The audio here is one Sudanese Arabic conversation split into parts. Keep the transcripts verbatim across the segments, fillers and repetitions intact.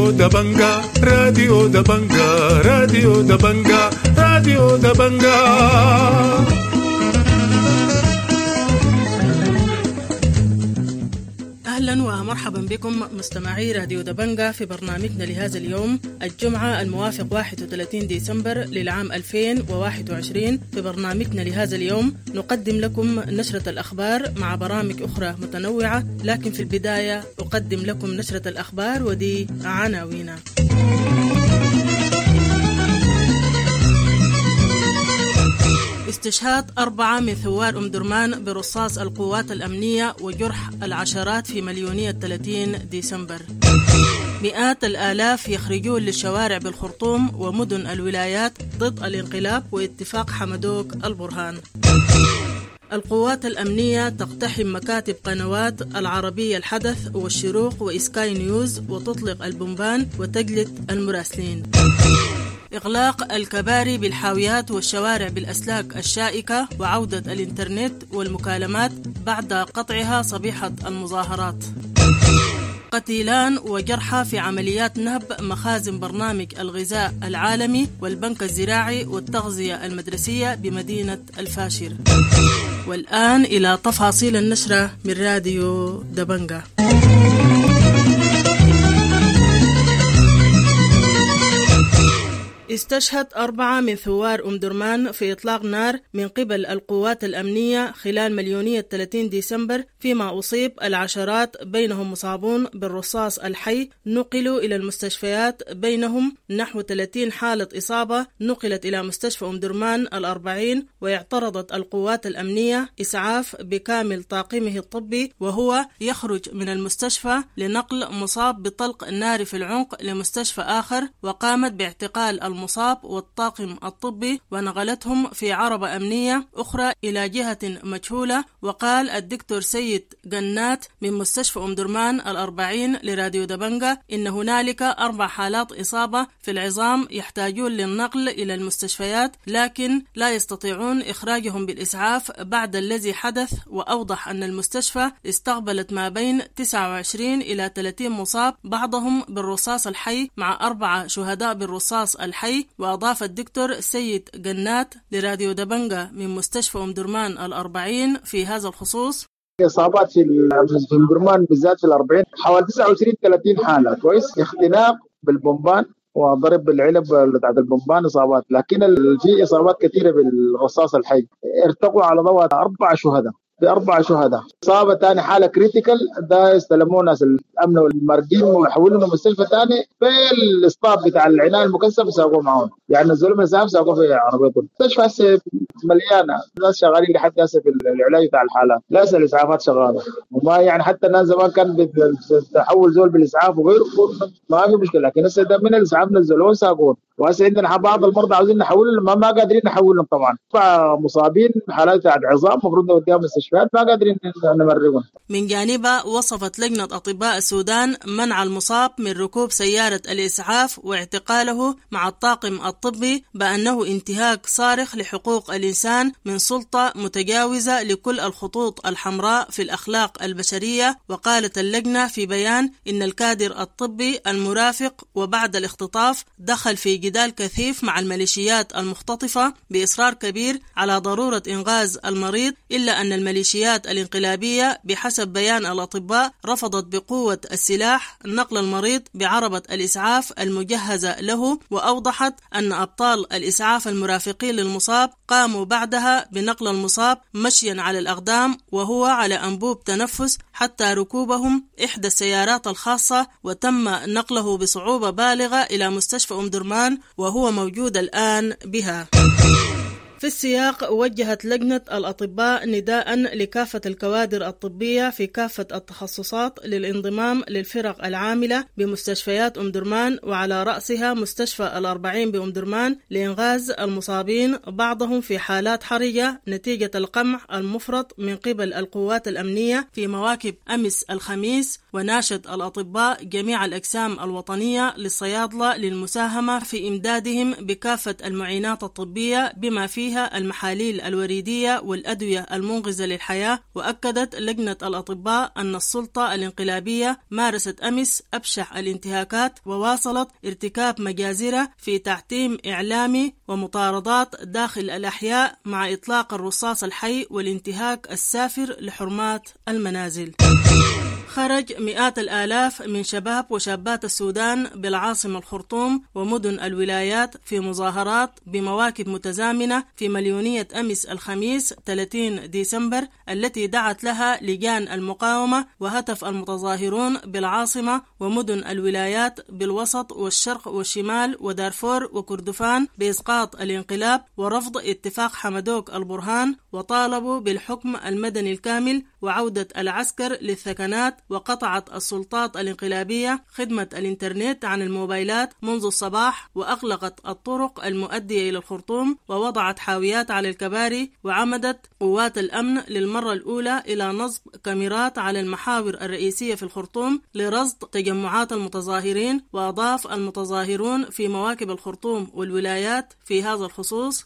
راديو دبنجا، راديو دبنجا، راديو دبنجا، راديو دبنجا. أهلا ومرحبا بكم مستمعي راديو دبنجا في برنامجنا لهذا اليوم الجمعة الموافق واحد وثلاثين ديسمبر للعام ألفين وواحد وعشرين. في برنامجنا لهذا اليوم نقدم لكم نشرة الأخبار مع برامج أخرى متنوعة، لكن في البداية أقدم لكم نشرة الأخبار ودي عناوينها. استشهاد أربعة من ثوار أم درمان برصاص القوات الأمنية وجرح العشرات في مليونية ثلاثين ديسمبر. مئات الآلاف يخرجون للشوارع بالخرطوم ومدن الولايات ضد الانقلاب واتفاق حمدوك البرهان. القوات الأمنية تقتحم مكاتب قنوات العربية الحدث والشروق وإسكاي نيوز وتطلق البومبان وتجلد المراسلين. إغلاق الكباري بالحاويات والشوارع بالأسلاك الشائكة وعودة الإنترنت والمكالمات بعد قطعها صبيحة المظاهرات. قتيلان وجرحى في عمليات نهب مخازن برنامج الغذاء العالمي والبنك الزراعي والتغذية المدرسية بمدينة الفاشر. والآن إلى تفاصيل النشرة من راديو دبنجا. استشهد أربعة من ثوار أم درمان في إطلاق نار من قبل القوات الأمنية خلال مليونية ثلاثين ديسمبر، فيما أصيب العشرات بينهم مصابون بالرصاص الحي نقلوا إلى المستشفيات، بينهم نحو ثلاثين حالة إصابة نقلت إلى مستشفى أم درمان الأربعين. واعترضت القوات الأمنية إسعاف بكامل طاقمه الطبي وهو يخرج من المستشفى لنقل مصاب بطلق نار في العنق لمستشفى آخر، وقامت باعتقال المصاب والطاقم الطبي ونقلتهم في عربة أمنية أخرى إلى جهة مجهولة. وقال الدكتور سيد جنات من مستشفى أم درمان الأربعين لراديو دبنجا إن هنالك أربع حالات إصابة في العظام يحتاجون للنقل إلى المستشفيات، لكن لا يستطيعون إخراجهم بالإسعاف بعد الذي حدث. وأوضح أن المستشفى استقبلت ما بين تسعة وعشرين إلى ثلاثين مصاب، بعضهم بالرصاص الحي مع أربعة شهداء بالرصاص الحي. وأضاف الدكتور سيد جنات لراديو دبنجا من مستشفى أم درمان الأربعين في هذا الخصوص: إصابات في أم درمان بالذات في الأربعين حوالي تسعة وعشرين ثلاثين حالة، كويس، اختناق بالبومبان وضرب بالعلب بتاعت البومبان إصابات، لكن في إصابات كثيرة بالرصاص الحي. ارتقوا على ضوء أربع شهداء، بأربع شهداء. إصابة ثاني حالة critical ده استلموه ناس الأمن والمرجين وحولوا لمستشفى ثاني في ال staff بتاع العناية المكثفة ساقوه معهم، يعني نزلوا من الإسعاف ساقوه في عربيتهم. المستشفى مليانة ناس شغالين لحد هسه في العلاج بتاع الحالات، لا الإسعافات شغالة، وما يعني حتى الناس زمان كان بتحول زول بالإسعاف وغيره ما في مشكلة، لكن هسه ده من الإسعاف نزلوه ساقوه. وهسه عندنا بعض المرضى عاوزين نحولهم ما, ما قادرين نحولهم طبعا، فمصابين حالات عظام المفروض نوديهم المستشفيات ما قادرين نمرقهم. من جانبها وصفت لجنة أطباء السودان منع المصاب من ركوب سيارة الإسعاف واعتقاله مع الطاقم الطبي بأنه انتهاك صارخ لحقوق الإنسان من سلطة متجاوزة لكل الخطوط الحمراء في الأخلاق البشرية. وقالت اللجنة في بيان إن الكادر الطبي المرافق وبعد الاختطاف دخل في جدال كثيف مع الميليشيات المختطفة بإصرار كبير على ضرورة إنقاذ المريض، إلا أن الميليشيات الانقلابية بحسب بيان الأطباء رفضت بقوة السلاح نقل المريض بعربة الإسعاف المجهزة له. وأوضحت أن أبطال الإسعاف المرافقين للمصاب قاموا بعدها بنقل المصاب مشيا على الأقدام وهو على أنبوب تنفس حتى ركوبهم إحدى السيارات الخاصة، وتم نقله بصعوبة بالغة إلى مستشفى أم درمان وهو موجود الآن بها. في السياق وجهت لجنة الأطباء نداء لكافة الكوادر الطبية في كافة التخصصات للانضمام للفرق العاملة بمستشفيات أم درمان وعلى رأسها مستشفى الأربعين بأم درمان لإنغاز المصابين بعضهم في حالات حرجة نتيجة القمع المفرط من قبل القوات الأمنية في مواكب أمس الخميس. وناشد الأطباء جميع الأجسام الوطنية للصيادلة للمساهمة في إمدادهم بكافة المعينات الطبية بما فيها فيها المحاليل الوريدية والأدوية المنقذة للحياة. وأكدت لجنة الأطباء أن السلطة الانقلابية مارست أمس أبشع الانتهاكات وواصلت ارتكاب مجازر في تعتيم إعلامي ومطاردات داخل الأحياء مع إطلاق الرصاص الحي والانتهاك السافر لحرمات المنازل. خرج مئات الآلاف من شباب وشابات السودان بالعاصمة الخرطوم ومدن الولايات في مظاهرات بمواكب متزامنة في مليونية أمس الخميس ثلاثين ديسمبر التي دعت لها لجان المقاومة، وهتف المتظاهرون بالعاصمة ومدن الولايات بالوسط والشرق والشمال ودارفور وكردفان بإسقاط الانقلاب ورفض اتفاق حمدوك البرهان، وطالبوا بالحكم المدني الكامل وعودة العسكر للثكنات. وقطعت السلطات الانقلابية خدمة الإنترنت عن الموبايلات منذ الصباح، وأغلقت الطرق المؤدية إلى الخرطوم، ووضعت حاويات على الكباري، وعمدت قوات الأمن للمرة الأولى إلى نصب كاميرات على المحاور الرئيسية في الخرطوم لرصد تجمعات المتظاهرين. وأضاف المتظاهرون في مواكب الخرطوم والولايات في هذا الخصوص: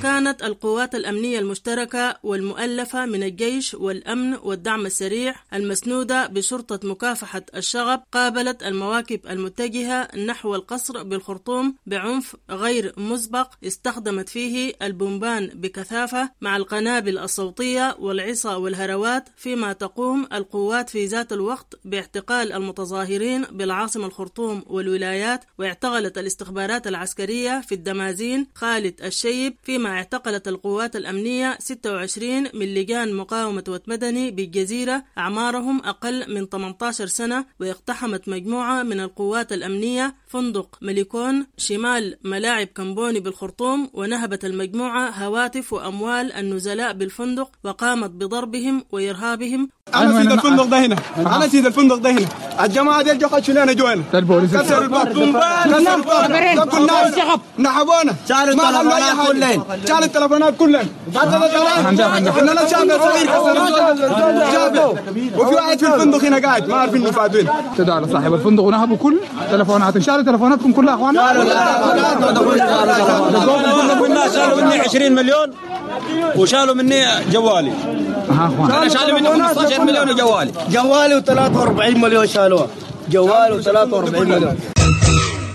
كانت القوات الأمنية المشتركة والمؤلفة من الجيش والأمن والدعم السريع المسنودة بشرطة مكافحة الشغب قابلت المواكب المتجهة نحو القصر بالخرطوم بعنف غير مسبق، استخدمت فيه البومبان بكثافة مع القنابل الصوتية والعصا والهروات، فيما تقوم القوات في ذات الوقت باعتقال المتظاهرين بالعاصمة الخرطوم والولايات. واعتقلت الاستخبارات العسكرية في الدمازين خالد الشيب، فيما اعتقلت القوات الأمنية ستة وعشرين من لجان مقاومة ومدني بالجزيرة أعمارهم أقل من ثمانية عشر سنة. واقتحمت مجموعة من القوات الأمنية فندق مليكون شمال ملاعب كمبوني بالخرطوم، ونهبت المجموعة هواتف وأموال النزلاء بالفندق وقامت بضربهم وإرهابهم. أنا سيد الفندق ده هنا، أنا سيد الفندق ده هنا، الجماعة دي جو خشوا لنا جوا هنا، كسروا الباب، كسروا الباب، كل الناس نحبونا، ما خلوا أي حاجة، شالوا التلفونات كلها، احنا لا شاب صغير كسروا، وفي واحد في الفندق هنا قاعد ما عارفين انه فات وين. اعتدوا على صاحب الفندق ونهبوا كل تلفوناتهم، شالوا تلفوناتكم كلها يا اخوانا؟ شالوا مني عشرين مليون وشالوا مني جوالي. انا شالوا مني خمسة عشر مليون وجوالي، جوالي وثلاثة وأربعين مليون شالوها، جوالي وثلاثة وأربعين مليون.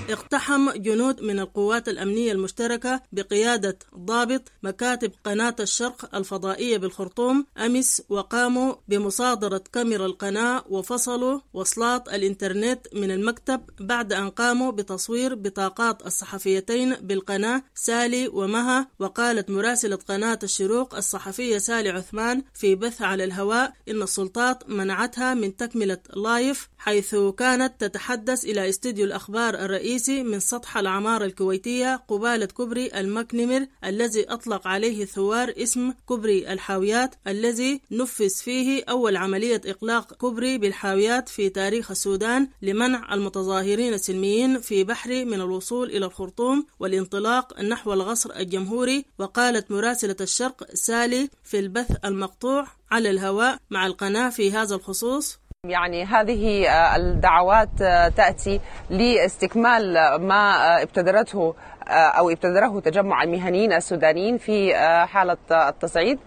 اقتحم جنود من القوات الأمنية المشتركة بقيادة ضابط مكاتب قناة الشرق الفضائية بالخرطوم أمس، وقاموا بمصادرة كاميرا القناة وفصلوا وصلات الإنترنت من المكتب بعد أن قاموا بتصوير بطاقات الصحفيتين بالقناة سالي ومها. وقالت مراسلة قناة الشروق الصحفية سالي عثمان في بث على الهواء إن السلطات منعتها من تكملة live، حيث كانت تتحدث إلى استوديو الأخبار الرئيسي من سطح العمارة الكويتية قبالة كوبري المكنمر الذي أطلق عليه الثوار اسم كوبري الحاويات، الذي نفذ فيه أول عملية إغلاق كوبري بالحاويات في تاريخ السودان لمنع المتظاهرين السلميين في بحري من الوصول إلى الخرطوم والانطلاق نحو القصر الجمهوري. وقالت مراسلة الشرق سالي في البث المقطوع على الهواء مع القناة في هذا الخصوص: يعني هذه الدعوات تأتي لاستكمال ما ابتدرته أو ابتدره تجمع المهنيين السودانيين في حالة التصعيد.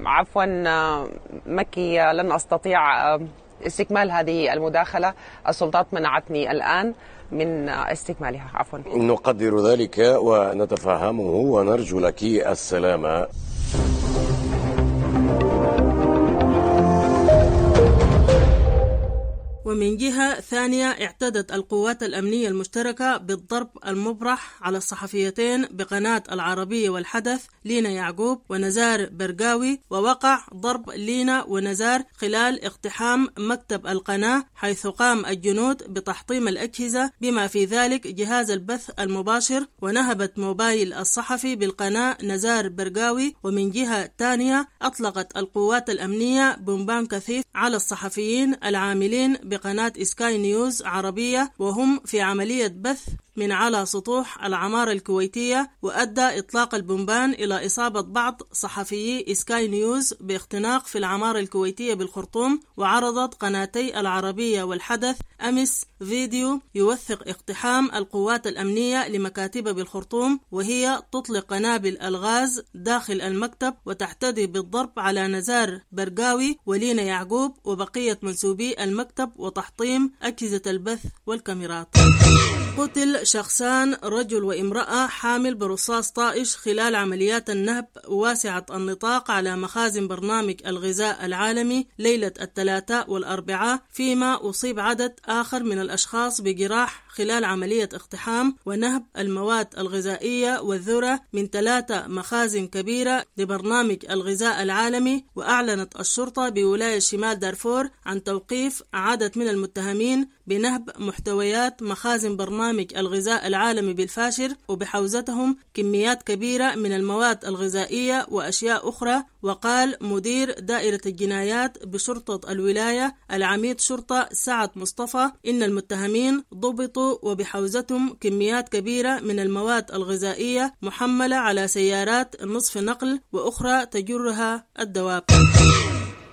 عفوا مكي، لن أستطيع استكمال هذه المداخلة. السلطات منعتني الآن من استكمالها، عفوا. نقدر ذلك ونتفهمه ونرجو لك السلامة. ومن جهة ثانية اعتدت القوات الأمنية المشتركة بالضرب المبرح على الصحفيتين بقناة العربية والحدث لينا يعقوب ونزار برقاوي، ووقع ضرب لينا ونزار خلال اقتحام مكتب القناة، حيث قام الجنود بتحطيم الأجهزة بما في ذلك جهاز البث المباشر، ونهبت موبايل الصحفي بالقناة نزار برقاوي. ومن جهة ثانية أطلقت القوات الأمنية بومبان كثيف على الصحفيين العاملين بقناة سكاي نيوز عربية وهم في عملية بث من على سطوح العمارة الكويتية، وأدى إطلاق البومبان إلى إصابة بعض صحفيي سكاي نيوز باختناق في العمارة الكويتية بالخرطوم. وعرضت قناتي العربية والحدث أمس فيديو يوثق اقتحام القوات الأمنية لمكاتب بالخرطوم وهي تطلق قنابل الغاز داخل المكتب وتعتدي بالضرب على نزار برقاوي ولينا يعقوب وبقية منسوبي المكتب وتحطيم أجهزة البث والكاميرات. قتل شخصان، رجل وامرأة حامل برصاص طائش خلال عمليات النهب واسعة النطاق على مخازن برنامج الغذاء العالمي ليلة الثلاثاء والأربعاء، فيما أصيب عدد آخر من الأشخاص بجراح خلال عملية اقتحام ونهب المواد الغذائية والذرة من ثلاثة مخازن كبيرة لبرنامج الغذاء العالمي. وأعلنت الشرطة بولاية شمال دارفور عن توقيف عدد من المتهمين بنهب محتويات مخازن برنامج الغذاء العالمي بالفاشر وبحوزتهم كميات كبيرة من المواد الغذائية وأشياء أخرى. وقال مدير دائرة الجنايات بشرطة الولاية العميد شرطة سعد مصطفى إن المتهمين ضبطوا وبحوزتهم كميات كبيرة من المواد الغذائية محملة على سيارات نصف نقل وأخرى تجرها الدواب.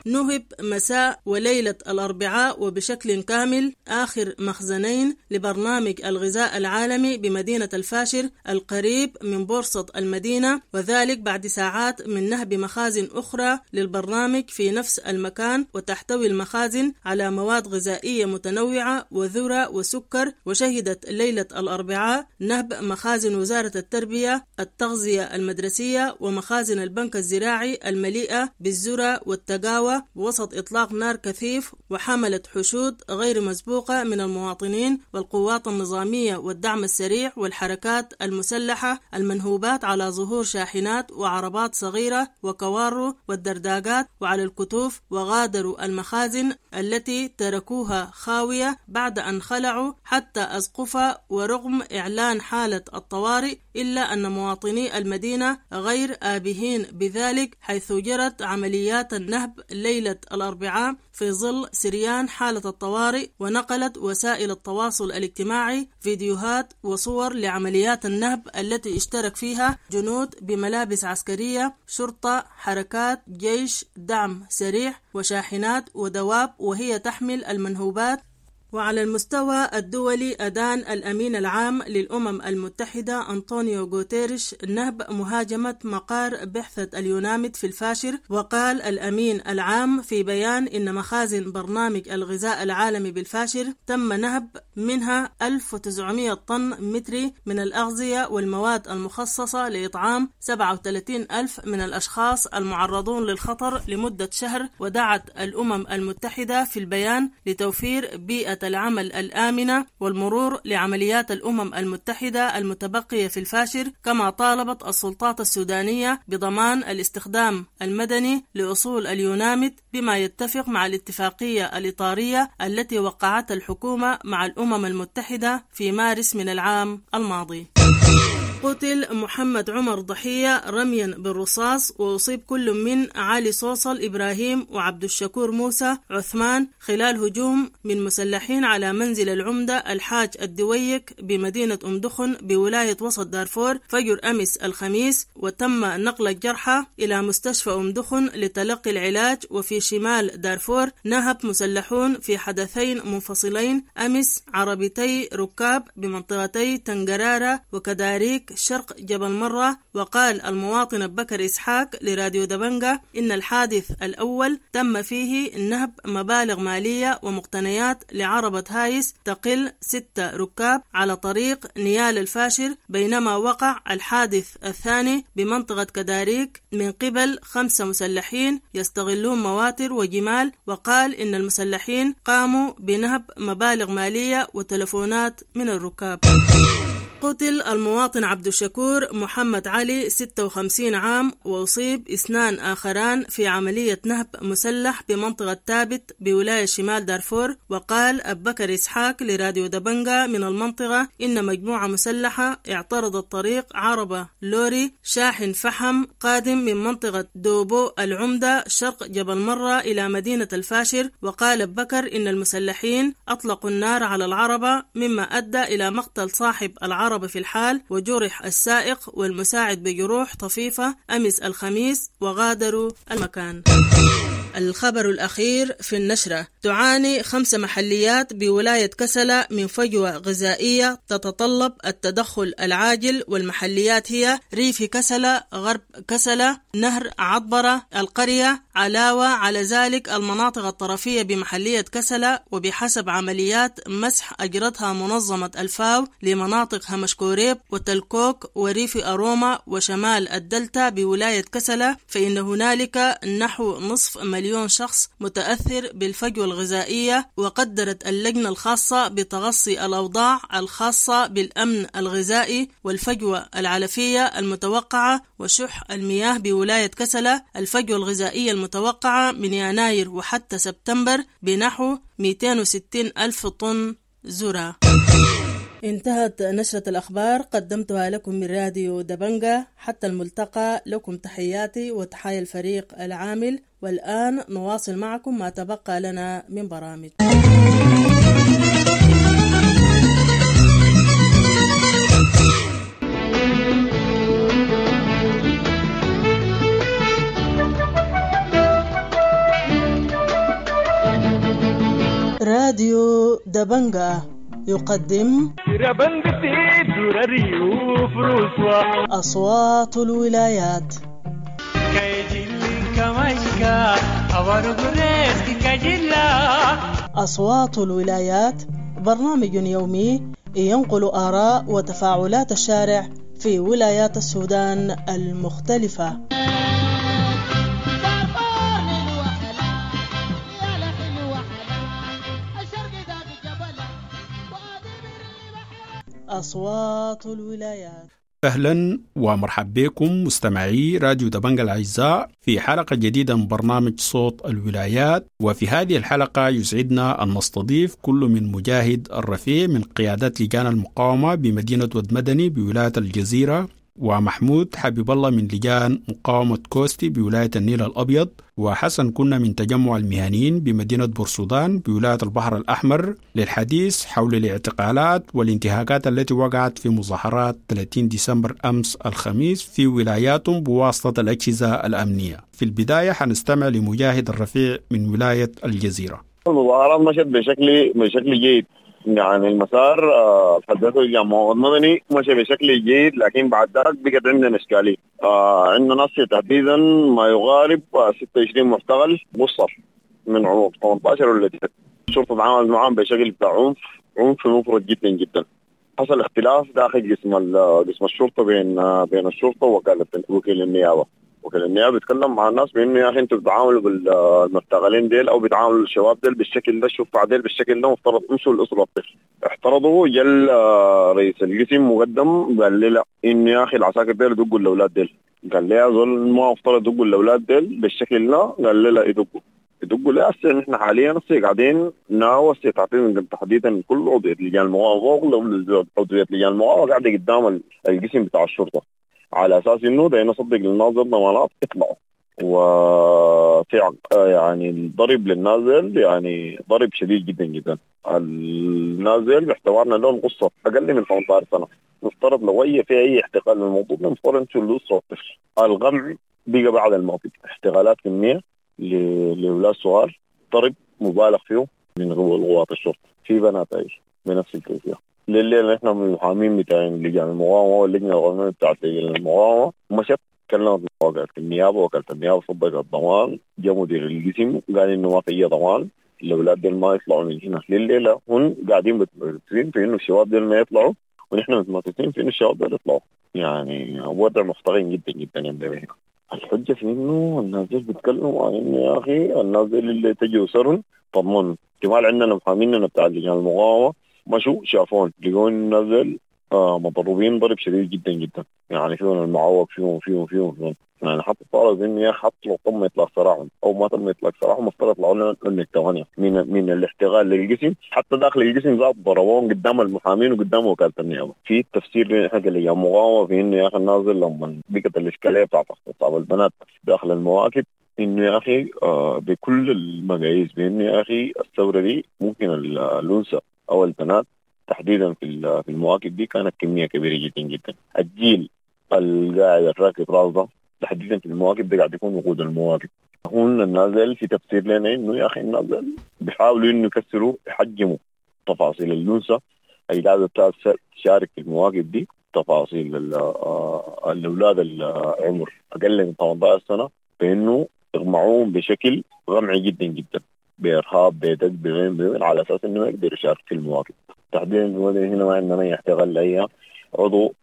نهب مساء وليلة الأربعاء وبشكل كامل آخر مخزنين لبرنامج الغذاء العالمي بمدينة الفاشر القريب من بورصة المدينة، وذلك بعد ساعات من نهب مخازن أخرى للبرنامج في نفس المكان، وتحتوي المخازن على مواد غذائية متنوعة وذرة وسكر. وشهدت ليلة الأربعاء نهب مخازن وزارة التربية التغذية المدرسية ومخازن البنك الزراعي المليئة بالذرة والتقاوى وسط إطلاق نار كثيف، وحملت حشود غير مسبوقة من المواطنين والقوات النظامية والدعم السريع والحركات المسلحة المنهوبات على ظهور شاحنات وعربات صغيرة وكوارو والدرداقات وعلى الكتوف، وغادروا المخازن التي تركوها خاوية بعد أن خلعوا حتى أسقفها. ورغم إعلان حالة الطوارئ إلا أن مواطني المدينة غير آبهين بذلك، حيث جرت عمليات النهب ليلة الأربعاء في ظل سريان حالة الطوارئ. ونقلت وسائل التواصل الاجتماعي فيديوهات وصور لعمليات النهب التي اشترك فيها جنود بملابس عسكرية، شرطة، حركات، جيش، دعم سريع، وشاحنات ودواب وهي تحمل المنهوبات. وعلى المستوى الدولي أدان الأمين العام للأمم المتحدة أنطونيو غوتيريش نهب مهاجمة مقار بعثة اليوناميد في الفاشر. وقال الأمين العام في بيان إن مخازن برنامج الغذاء العالمي بالفاشر تم نهب منها ألف وتسعمائة طن متري من الأغذية والمواد المخصصة لإطعام سبعة وثلاثين ألف من الأشخاص المعرضون للخطر لمدة شهر. ودعت الأمم المتحدة في البيان لتوفير بيئة العمل الآمنة والمرور لعمليات الأمم المتحدة المتبقية في الفاشر، كما طالبت السلطات السودانية بضمان الاستخدام المدني لأصول اليوناميد بما يتفق مع الاتفاقية الإطارية التي وقعتها الحكومة مع الأمم المتحدة في مارس من العام الماضي. قتل محمد عمر ضحية رميا بالرصاص، وأصيب كل من علي صوصل إبراهيم وعبد الشكور موسى عثمان خلال هجوم من مسلحين على منزل العمدة الحاج الدويك بمدينة أم دخن بولاية وسط دارفور فجر أمس الخميس، وتم نقل الجرحى إلى مستشفى أم دخن لتلقي العلاج. وفي شمال دارفور نهب مسلحون في حدثين منفصلين أمس عربتي ركاب بمنطقتي تنقرارة وكداريك كداريك شرق جبل مرة. وقال المواطن بكر إسحاق لراديو دبنجة إن الحادث الأول تم فيه نهب مبالغ مالية ومقتنيات لعربة هايس تقل ستة ركاب على طريق نيال الفاشر، بينما وقع الحادث الثاني بمنطقة كداريك من قبل خمسة مسلحين يستغلون مواتر وجمال. وقال إن المسلحين قاموا بنهب مبالغ مالية وتلفونات من الركاب. قتل المواطن عبد الشكور محمد علي ستة وخمسين عام وأصيب اثنان آخران في عملية نهب مسلح بمنطقة تابت بولاية شمال دارفور. وقال أبو بكر إسحاق لراديو دبنجة من المنطقة إن مجموعة مسلحة اعترضت طريق عربة لوري شاحن فحم قادم من منطقة دوبو العمدة شرق جبل مرة إلى مدينة الفاشر. وقال أبو بكر إن المسلحين أطلقوا النار على العربة مما أدى إلى مقتل صاحب العربة في الحال وجرح السائق والمساعد بجروح طفيفة أمس الخميس وغادروا المكان. الخبر الأخير في النشرة: تعاني خمس محليات بولاية كسلة من فجوة غذائية تتطلب التدخل العاجل، والمحليات هي ريف كسلة، غرب كسلة، نهر عطبرة، القرية، علاوة على ذلك المناطق الطرفية بمحلية كسلة. وبحسب عمليات مسح أجرتها منظمة الفاو لمناطق همشكوريب وتلكوك وريف أروما وشمال الدلتا بولاية كسلة، فإن هنالك نحو نصف مليون شخص متأثر بالفجوة الغذائية. وقدرت اللجنة الخاصة بتغصي الأوضاع الخاصة بالأمن الغذائي والفجوة العلفية المتوقعة وشح المياه بولاية كسلة الفجوة الغذائية المتوقعة من يناير وحتى سبتمبر بنحو مئتين وستين ألف طن ذرة. انتهت نشرة الأخبار، قدمتها لكم من راديو دبنجة. حتى الملتقى، لكم تحياتي وتحايا الفريق العامل، والآن نواصل معكم ما تبقى لنا من برامج. راديو دبنجة يقدم أصوات الولايات. أصوات الولايات برنامج يومي ينقل آراء وتفاعلات الشارع في ولايات السودان المختلفة. أصوات الولايات. أهلا ومرحبا بكم مستمعي راديو دبنجة الأعزاء في حلقة جديدة من برنامج صوت الولايات. وفي هذه الحلقة يسعدنا أن نستضيف كل من مجاهد الرفيع من قيادات لجان المقاومة بمدينة ود مدني بولاية الجزيرة، ومحمود حبيب الله من لجان مقاومة كوستي بولاية النيل الأبيض، وحسن كنا من تجمع المهنيين بمدينة بورسودان بولاية البحر الأحمر، للحديث حول الاعتقالات والانتهاكات التي وقعت في مظاهرات ثلاثين ديسمبر أمس الخميس في ولاياتهم بواسطة الأجهزة الأمنية. في البداية حنستمع لمجاهد الرفيع من ولاية الجزيرة. المظاهرات مشت بشكل بشكل جيد، يعني المسار حدثه الجامعة المدني مشى بشكل جيد، لكن بعد ذلك بقت عندنا إشكالية. آه عندنا ناس تحديدا ما يقارب ستة وعشرين معتقل قصر من عمر ثمانية عشر ولا تسعة. الشرطة تعاملت معهم بشكل بتاع عنف عنف مفرط جدا جدا. حصل اختلاف داخل قسم قسم الشرطة بين بين الشرطة ووكالة وكيل النيابة. وكيل النيابة بيتكلم مع الناس بإنه يا أخي أنتوا بتعاملوا بالمعتقلين ديل أو بتعاملوا الشباب ديل بالشكل ده، الشفع ديل بالشكل ده، مفترض امشوا الأسرة الطفل. احترضوا، جل رئيس القسم مقدم قال لي لا، إنه يا أخي العساكر ديل دقوا الأولاد ديل. قال لي يا زول ما مفترض دقوا الأولاد ديل بالشكل ده، قال لي لا يدقوا يدقوا. لا هسه نحن حاليا هسه قاعدين ناوي تعطينا تحديدا كل عضوية لجان المقاومة، عضوية لجان المقاومة قاعدة قدام القسم بتاع الشرطة على اساس انه ده نصدق للناظر ضمانات يطلعوا. وفي يعني الضرب للنازل يعني ضرب شديد جدا جدا. النازل باعتبارنا لهم قصه اقل من ثمانية عشر سنه، مفترض لو اي في اي احتقال للموضوع مفترض انتوا الاسره والطفل. الغمع بقى بعد الموقف احتقالات كميه لاولاد صغار، ضرب مبالغ فيه من قوات الشرطه، في بنات ايش بنفس الكيفيه. لليل نحن من المحامين بتاعين لجان المقاومة واللجنة القانونية بتاعت لجان المقاومة مشت كلمت وكالة النيابة، وكالة النيابة صدقت الضمان، جاء مدير القسم قال انه ما في اي ضمان، الاولاد دول ما يطلعوا من هنا. لليلة هم قاعدين متمسكين في انه الشباب دول ما يطلعوا، ونحن متمسكين في انه الشباب دول يطلعوا. يعني وضع محترم جدا جدا عندنا هنا. الحجة في انه الناس دول بيتكلموا عن انه يا اخي الناس دول اللي تجوا سرهم طمنوا. احتمال عندنا محاميننا بتاع لجان المقاومة مشوا شافون لقوا الناس دول آه مضروبين ضرب شديد جدا جدا، يعني فيهم المعوق فيهم فيهم فيهم فيهم يعني حتى طالب انه يا حتى لو تم اطلاق سراحهم او ما تم اطلاق سراحهم مفترض يطلعوا لنا من الثمانية من من الاحتغال للقسم، حتى داخل القسم ذات ضربوهم قدام المحامين وقدام وكالة النيابة. في تفسير حق اللي مقاومة في انه يا اخي الناظر لما بقت الاشكالية بتاعت اغتصاب البنات داخل المواكب انه يا اخي آه بكل المقاييس بانه يا اخي الثورة دي ممكن الانثى او البنات تحديدا في في المواكب دي كانت كمية كبيرة جدا جدا. الجيل القاعد الراكب راسه تحديدا في المواكب ده قاعد يكون وقود المواكب. هون النازل في تفسير لنا انه يا اخي النازل بيحاولوا انه يكسروا يحجموا تفاصيل الانثى اللي قاعدة تشارك في المواكب دي، تفاصيل الاولاد العمر اقل من ثمانية عشر سنة، بانه يغمعوهم بشكل غمعي جدا جدا بارهاب بدق بغير بغير على اساس انه ما يقدر يشارك في المواكب. تحديدا هنا ما عندنا اي احتغال لاي عضو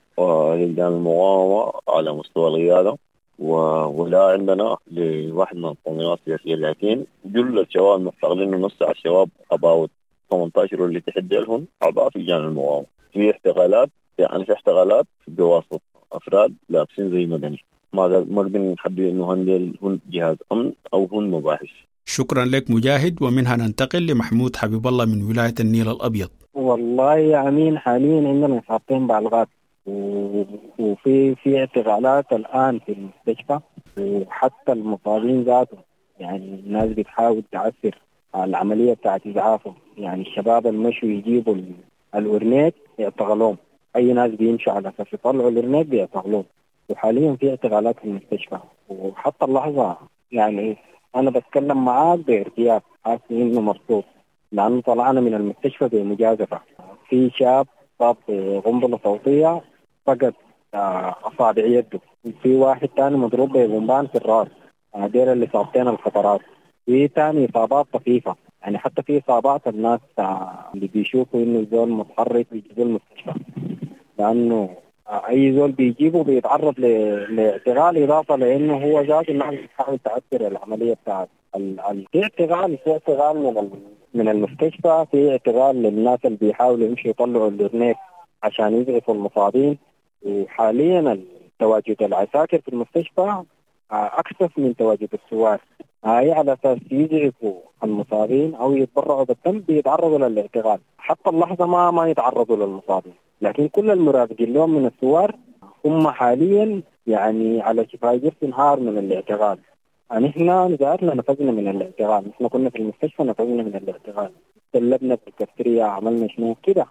لجان المقاومة على مستوى القيادة، ولا عندنا لواحد من التنظيمات السياسية، لكن جل الشباب المحتغلين ونص على الشباب اباوت ثمانية عشر واللي تحدي لهم اعضاء في لجان المقاومة. في احتغالات، يعني في احتغالات بواسطة افراد لابسين زي مدني، ما ما قدرنا نحدد انه هن جهاز امن او هن مباحث. شكرا لك مجاهد. ومنها ننتقل لمحمود حبيب الله من ولاية النيل الأبيض. والله يا أمين حاليا عندنا إصابتين بالغات وفي في اعتقالات الآن في المستشفى، وحتى المصابين ذاته يعني الناس بتحاول تعسر على العملية بتاعت إسعافهم. يعني الشباب المشوا يجيبوا الأورنيك يعتقلوهم، أي ناس بيمشوا على أساس يطلعوا الأورنيك بيعتقلوهم. وحاليا في اعتقالات في المستشفى، وحتى اللحظة يعني أنا بتكلم معاك بارتياح، حاسس إنه مبسوط لأنه طلعنا من المستشفى بمجازفة. في شاب صاب بقنبلة صوتية فقد أصابع يده، في واحد تاني مضروب ببومبان في الرأس، دير اللي إصابتين الخطرات. في تاني إصابات طفيفة، يعني حتى في إصابات الناس اللي بيشوفوا إنه الزول متحرك بيجيبوا المستشفى، لأنه أي زول بيجيبه بيتعرض لاعتقال، إضافة لأنه هو ذاته الناس بتحاول تعسر العملية بتاعت ال... في اعتقال، في اعتقال من ال... من المستشفى، في اعتقال للناس اللي بيحاولوا يمشوا يطلعوا الأورنيك عشان يزعفوا المصابين. وحاليا تواجد العساكر في المستشفى أكثر من تواجد الثوار، هاي على أساس يزعفوا المصابين أو يتبرعوا بالدم بيتعرضوا للاعتقال. حتى اللحظة ما ما يتعرضوا للمصابين، لكن كل المرافقين لهم من الثوار هم حاليا يعني على شفا جرف نهار من الاعتقال. نحن ذاتنا نفذنا من الاعتقال، نحن كنا في المستشفى نفذنا من الاعتقال، سلبنا في الكافتيريا، عملنا شنو كده.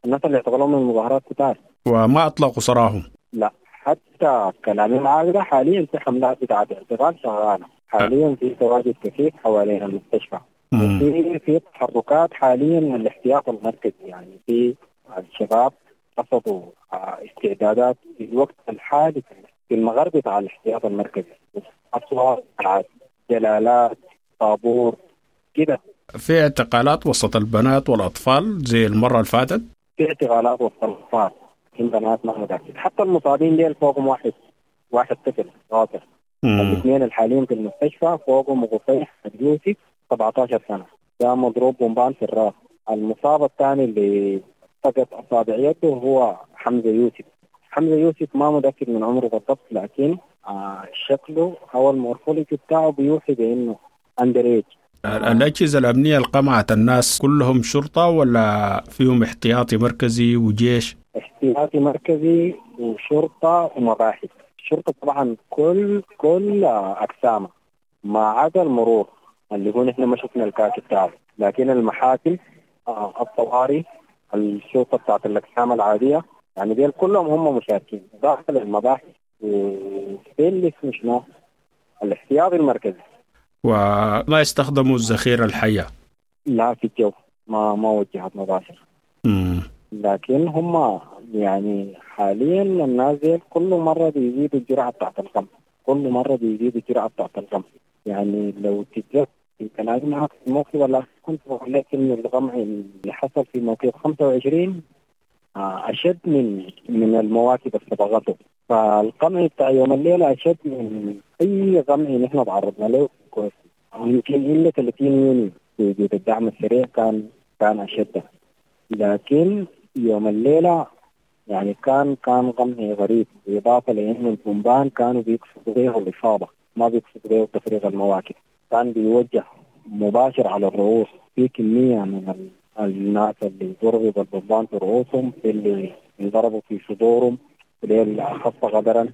الناس اللي اعتقلوا من المظاهرات كتار وما اطلقوا سراهم. لا، حتى كلامي معاك ده حاليا في حملات بتاعت اعتقال شغالة حاليا، في تواجد كثيف حوالين المستشفى، في في تحركات حاليا من الاحتياط المركزي. يعني في الشباب رصدوا استعدادات في الوقت الحالي في المغرب بتاع الاحتياط المركزي، اصوات، جلالات، طابور كده. في اعتقالات وسط البنات والاطفال زي المرة اللي فاتت؟ في اعتقالات وسط الاطفال، في بنات ما متاكد، حتى المصابين ديل فوقهم واحد واحد طفل غاطر. الاثنين الحاليين في المستشفى فوقهم غفيح يوسف سبعة عشر سنة، ده مضروب بومبان في الراس. المصاب الثاني اللي فقد اصابع يده هو حمزة يوسف. حمزة يوسف ما متاكد من عمره بالضبط، لكن آه شكله او ال morphology بتاعه بيوحي بانه under age. الأجهزة الأمنية القمعت الناس كلهم شرطة ولا فيهم احتياطي مركزي وجيش؟ احتياطي مركزي وشرطة ومباحث. الشرطة طبعا كل كل أقسامها ما عدا المرور اللي هو نحن ما شفنا الكاكي بتاعه، لكن المحاكم، الطوارئ، الشرطة بتاعت الأقسام العادية، يعني ديل كلهم هم مشاركين داخل المباحث. وفي اللي اسمه شنو الاحتياطي المركزي. وما يستخدموا الذخيرة الحية؟ لا، في الجو ما ما وجهت مباشر. امم لكن هم يعني حاليا الناس دي كل مرة بيزيدوا الجرعة بتاعت القمع، كل مرة بيزيدوا الجرعة بتاعت القمع. يعني لو تتذكر كلامي معك في الموقف ولا كنت بقول لك إنه القمع اللي حصل في موقف خمسة وعشرين أشد من من المواكب اللي سبقته، فالقمع بتاع يوم الليلة أشد من أي قمع نحن تعرضنا له كويس. يمكن إلا ثلاثين يونيو في وجود الدعم السريع كان كان أشد، لكن يوم الليلة يعني كان كان قمع غريب، بالإضافة لأنه البومبان كانوا بيقصدوا به الإصابة، ما بيقصدوا به تفريغ المواكب، كان بيوجه مباشر على الرؤوس. في كمية من الناس اللي ضربوا بالبومبان في رؤوسهم، في اللي انضربوا في صدورهم، اللي أخف غدرا.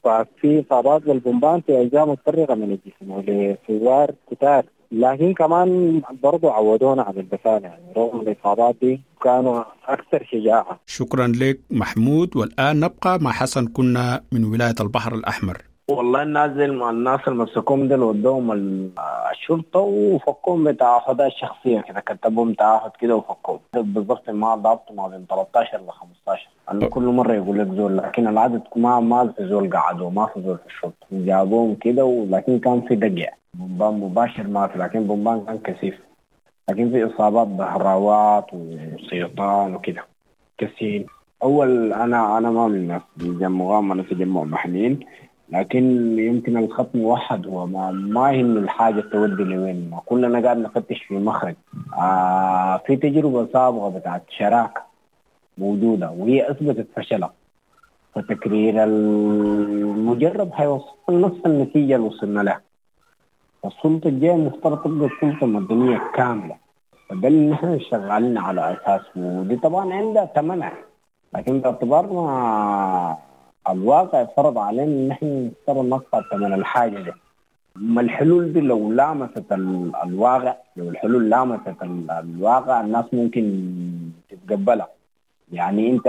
ففي إصابات بالبومبان في أجزاء متفرقة من الجسم ولثوار كتار، لكن كمان برضو عودونا على البسالة، يعني رغم الإصابات دي كانوا أكثر شجاعة. شكرا لك محمود. والآن نبقى مع حسن كنا من ولاية البحر الأحمر. والله الناس الناس اللي مسكوهم دول ودوهم الشرطة وفكوهم بتعهدات شخصية كده، كتبهم تعهد كده وفكوهم بالضبط. ما ضبط ما بين ثلاثة عشر ل خمسة عشر، أنا كل مرة يقول لك زول، لكن العدد ما ما في زول قعدوا، ما في زول في الشرطة، جابوهم كده، ولكن كان في دقع بومبان مباشر ما في، لكن بومبان كان كثيف، لكن في إصابات بهراوات وسيطان وكده كثير. أول أنا أنا ما من الناس بيجمعوا، أنا في تجمع محليين، لكن يمكن الخط موحد، هو ما ما هي الحاجة تودي لوين، ما كلنا قاعد نفتش في مخرج. آه في تجربة سابقة بتاعت شراكة موجودة وهي أثبتت فشلها، فتكرير المجرب هيوصل نفس النتيجة اللي وصلنا لها. السلطة الجاية المفترض تبقى السلطة المدنية كاملة، فده اللي نحن شغالين على أساسه، ودي طبعا عندها ثمنها، لكن باعتبار ما الواقع فرض علينا ان احنا نضطر ندفع ثمن الحاجه دي. اما الحلول دي لو لامست الواقع، لو الحلول لامست الواقع الناس ممكن تتقبلها. يعني انت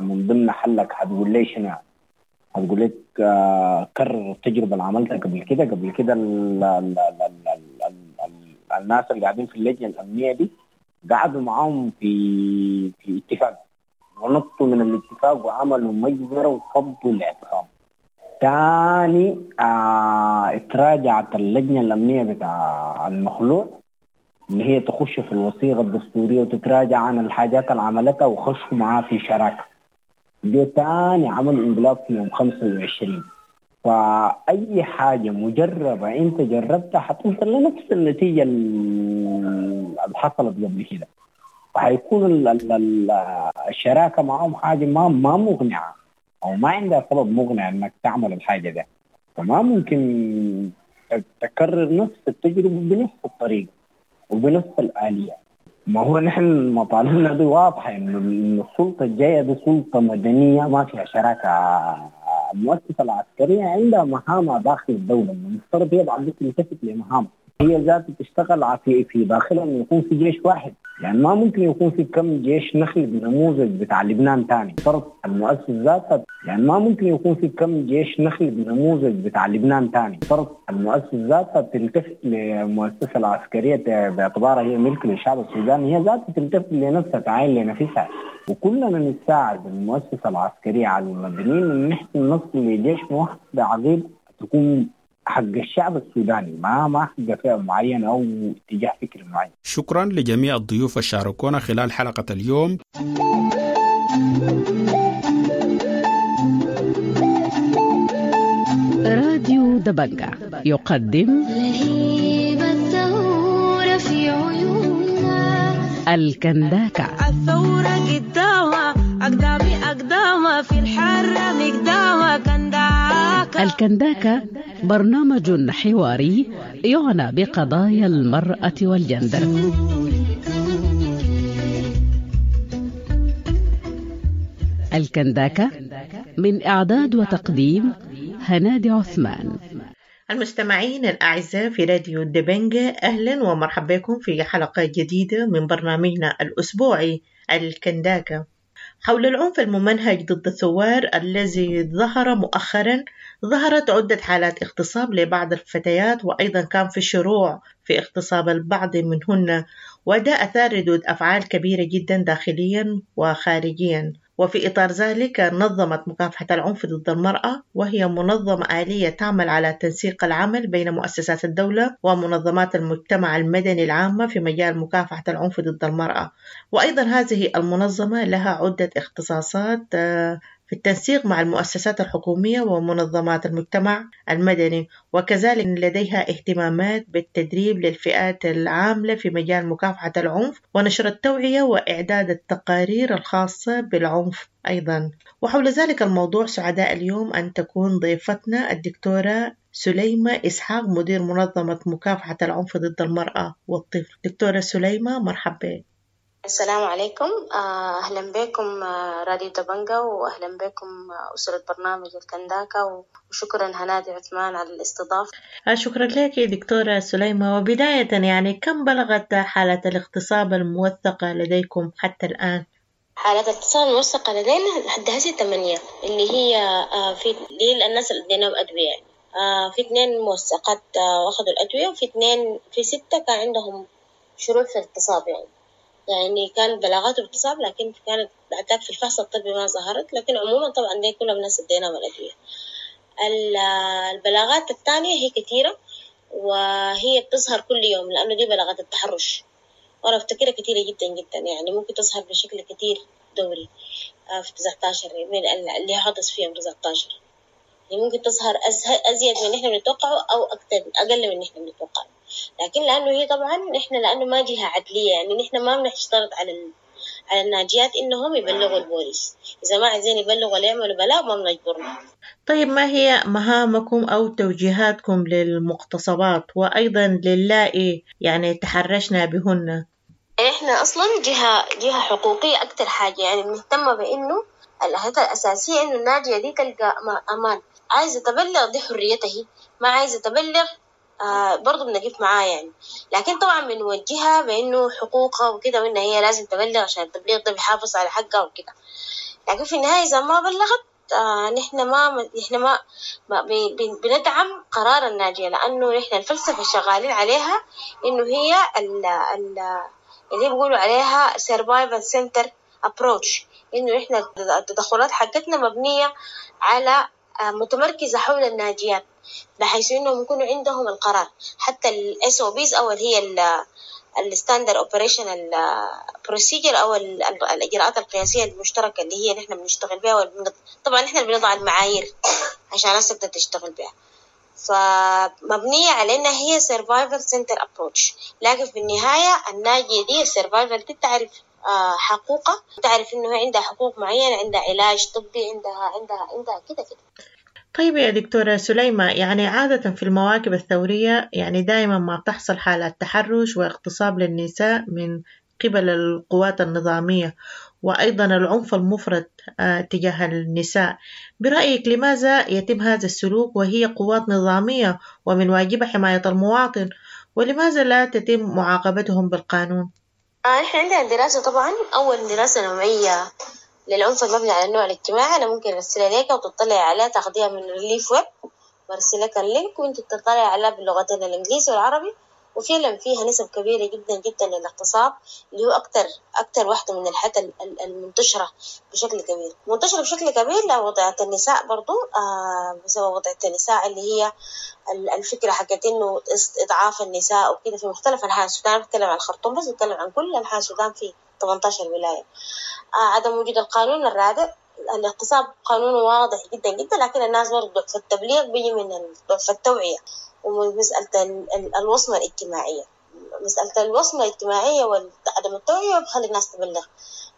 من ضمن حلك هتقول لي شنو؟ هتقول لك كرر التجربه اللي عملتها قبل كده. قبل كده ال ال ال ال ال ال الناس اللي قاعدين في اللجنه الامنيه دي قعدوا معاهم في في اتفاق، ونطوا من الاتفاق وعملوا مجزرة وفضوا الاعتصام. تاني آه اتراجعت اللجنة الأمنية بتاع المخلوع اللي هي تخش في الوثيقة الدستورية وتتراجع عن الحاجات اللي عملتها وخشوا معاه في شراكة. جو تاني عملوا انقلاب في يوم خمسة وعشرين. فأي حاجة مجربة أنت جربتها حتوصل لنفس النتيجة اللي حصلت قبل كده، وحيكون ال ال الشراكة معهم حاجة ما ما مقنعة أو ما عندها سبب مقنع إنك تعمل الحاجة ده. فما ممكن تكرر نفس التجربة بنفس الطريقة وبنفس الآلية. ما هو نحن مطالبنا دي واضحة، إنه السلطة الجاية دي سلطة مدنية ما فيها شراكة. المؤسسة العسكرية عندها مهامها داخل الدولة، المفترض هي بعد تلتفت لمهامها هي ذاتها، تشتغل في في داخلها انه يكون في جيش واحد. يعني ما ممكن يكون في كم جيش نخلق نموذج بتاع لبنان تاني. فرض المؤسسة ذاتها، يعني ما ممكن يكون في كم جيش نخلق نموذج بتاع لبنان تاني. فرض المؤسسة ذاتها تلتفت للمؤسسة العسكرية باعتبارها هي ملك للشعب السوداني، هي ذاتها تلتفت لنفسها، تعاين لنفسها، وكلنا نساعد المؤسسة العسكرية على المدنيين ان نحن نصل لجيش موحد بعقيدة تكون حق الشعب السوداني، ما ما حق فئة معينة أو اتجاه فكري معين. شكرا لجميع الضيوف الشاركونا خلال حلقة اليوم. راديو دبنجة يقدم لهيب الثورة في عيوننا الكنداكة. الثورة قدامها أقدامي أقدامها في الحرة مقدامها كنداكة. الكنداكة برنامج حواري يعنى بقضايا المرأة والجندر. الكنداكة من إعداد وتقديم هنادي عثمان. المستمعين الأعزاء في راديو دبنجة، أهلا ومرحبا بكم في حلقة جديدة من برنامجنا الأسبوعي الكنداكة. حول العنف الممنهج ضد الثوار الذي ظهر مؤخرا. ظهرت عدة حالات اغتصاب لبعض الفتيات، وأيضا كان في شروع في اغتصاب البعض منهن، وده أثار ردود أفعال كبيرة جدا داخليا وخارجيا. وفي إطار ذلك نظمت مكافحة العنف ضد المرأة، وهي منظمة آلية تعمل على تنسيق العمل بين مؤسسات الدولة ومنظمات المجتمع المدني العامة في مجال مكافحة العنف ضد المرأة. وأيضا هذه المنظمة لها عدة اختصاصات في التنسيق مع المؤسسات الحكومية ومنظمات المجتمع المدني، وكذلك لديها اهتمامات بالتدريب للفئات العاملة في مجال مكافحة العنف ونشر التوعية وإعداد التقارير الخاصة بالعنف أيضا. وحول ذلك الموضوع سعداء اليوم أن تكون ضيفتنا الدكتورة سليمة إسحاق، مدير منظمة مكافحة العنف ضد المرأة والطفل. دكتورة سليمة، مرحبا بك. السلام عليكم، أهلا بكم راديو دبنجة، وأهلا بكم أسرة برنامج الكنداكا، وشكرا هنادي عثمان على الاستضافة. شكرا لك دكتورة سليمة. وبداية يعني كم بلغت حالة الاغتصاب الموثقة لديكم حتى الآن؟ حالات الاغتصاب الموثقة لدينا لحد هسه ثمانية، اللي هي في دي الناس اللي اديناهم أدوية، يعني في اثنين موثقات واخذوا الأدوية، وفي اثنين في ستة كان عندهم شروع في الاغتصاب، يعني يعني كان بلاغات اغتصاب، لكن كانت بعد في الفحص الطبي ما ظهرت. لكن عموما طبعا دي كلها الناس اديناهم الأدوية. البلاغات الثانية هي كثيرة، وهي بتظهر كل يوم، لأنه دي بلاغات التحرش، وأنا أفتكرها كثيرة جدا جدا، يعني ممكن تظهر بشكل كثير دوري في تسعة عشر من اللي حدث فيهم تسعة عشر، يعني ممكن تظهر أزيد من إحنا بنتوقعه أو أكثر أقل من إحنا بنتوقعه. لكن لأنه هي طبعا نحن لأنه ما جهة عدلية، يعني نحن ما بنشترط على ال... على الناجيات إنهم يبلغوا البوليس، إذا ما عايزين يبلغوا ولا يعملوا بلاغ ما بنجبرهم. طيب، ما هي مهامكم أو توجيهاتكم للمغتصبات وأيضا للائي يعني تحرشنا بهن؟ إحنا أصلا جهة جهة حقوقية أكثر حاجة، يعني بنهتم بإنه الأهداف الأساسية إنه الناجية دي تلقى أمان، عايزة تبلغ دي حريتها هي، ما عايزة تبلغ آه برضو بنقف معاه يعني. لكن طبعا بنوجهها بإنه حقوقها وكده، وإن هي لازم تبلغ عشان التبليغ ده بيحافظ على حقها وكده. لكن في النهاية إذا ما بلغت آه نحن ما نحن ما, ما بندعم قرار الناجية، لأنه نحن الفلسفة شغالين عليها إنه هي ال ال اللي بيقولوا عليها survival center approach، إنه نحن التدخلات حقتنا مبنية على متمركزة حول الناجيات، بحيث إنهم يكونوا عندهم القرار. حتى ال إس أو بيز أو اللي هي ال Standard Operational Procedure أو الإجراءات القياسية المشتركة اللي هي نحن بنشتغل بها، طبعا نحن بنضع المعايير عشان الناس تبدأ تشتغل بها، فمبنية على إنها هي Survival Center Approach. لكن في النهاية الناجية دي Survival دي تعرف حقوقها، تعرف إنه عندها حقوق معينة، عندها علاج طبي، عندها عندها عندها كده كده. طيب يا دكتورة سليمة، يعني عادة في المواكب الثورية يعني دائما ما تحصل حالات تحرش واغتصاب للنساء من قبل القوات النظامية، وأيضا العنف المفرط تجاه النساء. برأيك لماذا يتم هذا السلوك وهي قوات نظامية ومن واجبها حماية المواطن، ولماذا لا تتم معاقبتهم بالقانون؟ نحن عندنا دراسة طبعا، أول دراسة نوعية للعنف المبني على النوع الاجتماعي، أنا ممكن أرسلها لك وتطلع عليها، تاخديها من ReliefWeb، برسل لك ال link وأنت تطلع عليها باللغتين الإنجليزي والعربي. وفعلا فيها نسب كبيرة جدا جدا للاغتصاب، اللي هو أكتر أكتر واحدة من الحالات المنتشرة بشكل كبير، منتشرة بشكل كبير لوضعية النساء برضو، آه بسبب وضعية النساء اللي هي الفكرة حقت إنه إضعاف النساء وكده في مختلف أنحاء السودان. بتكلم عن الخرطوم بس، بتكلم عن كل أنحاء السودان في ثمانية عشر ولاية. آه عدم وجود القانون الرادع، الاغتصاب قانونه واضح جدا جدا، لكن الناس برضو ضعف التبليغ بيجي من ضعف التوعية ومن مسألة الوصمة الاجتماعية. مسألة الوصمة الاجتماعية وعدم التوعية بخلي الناس تبلغ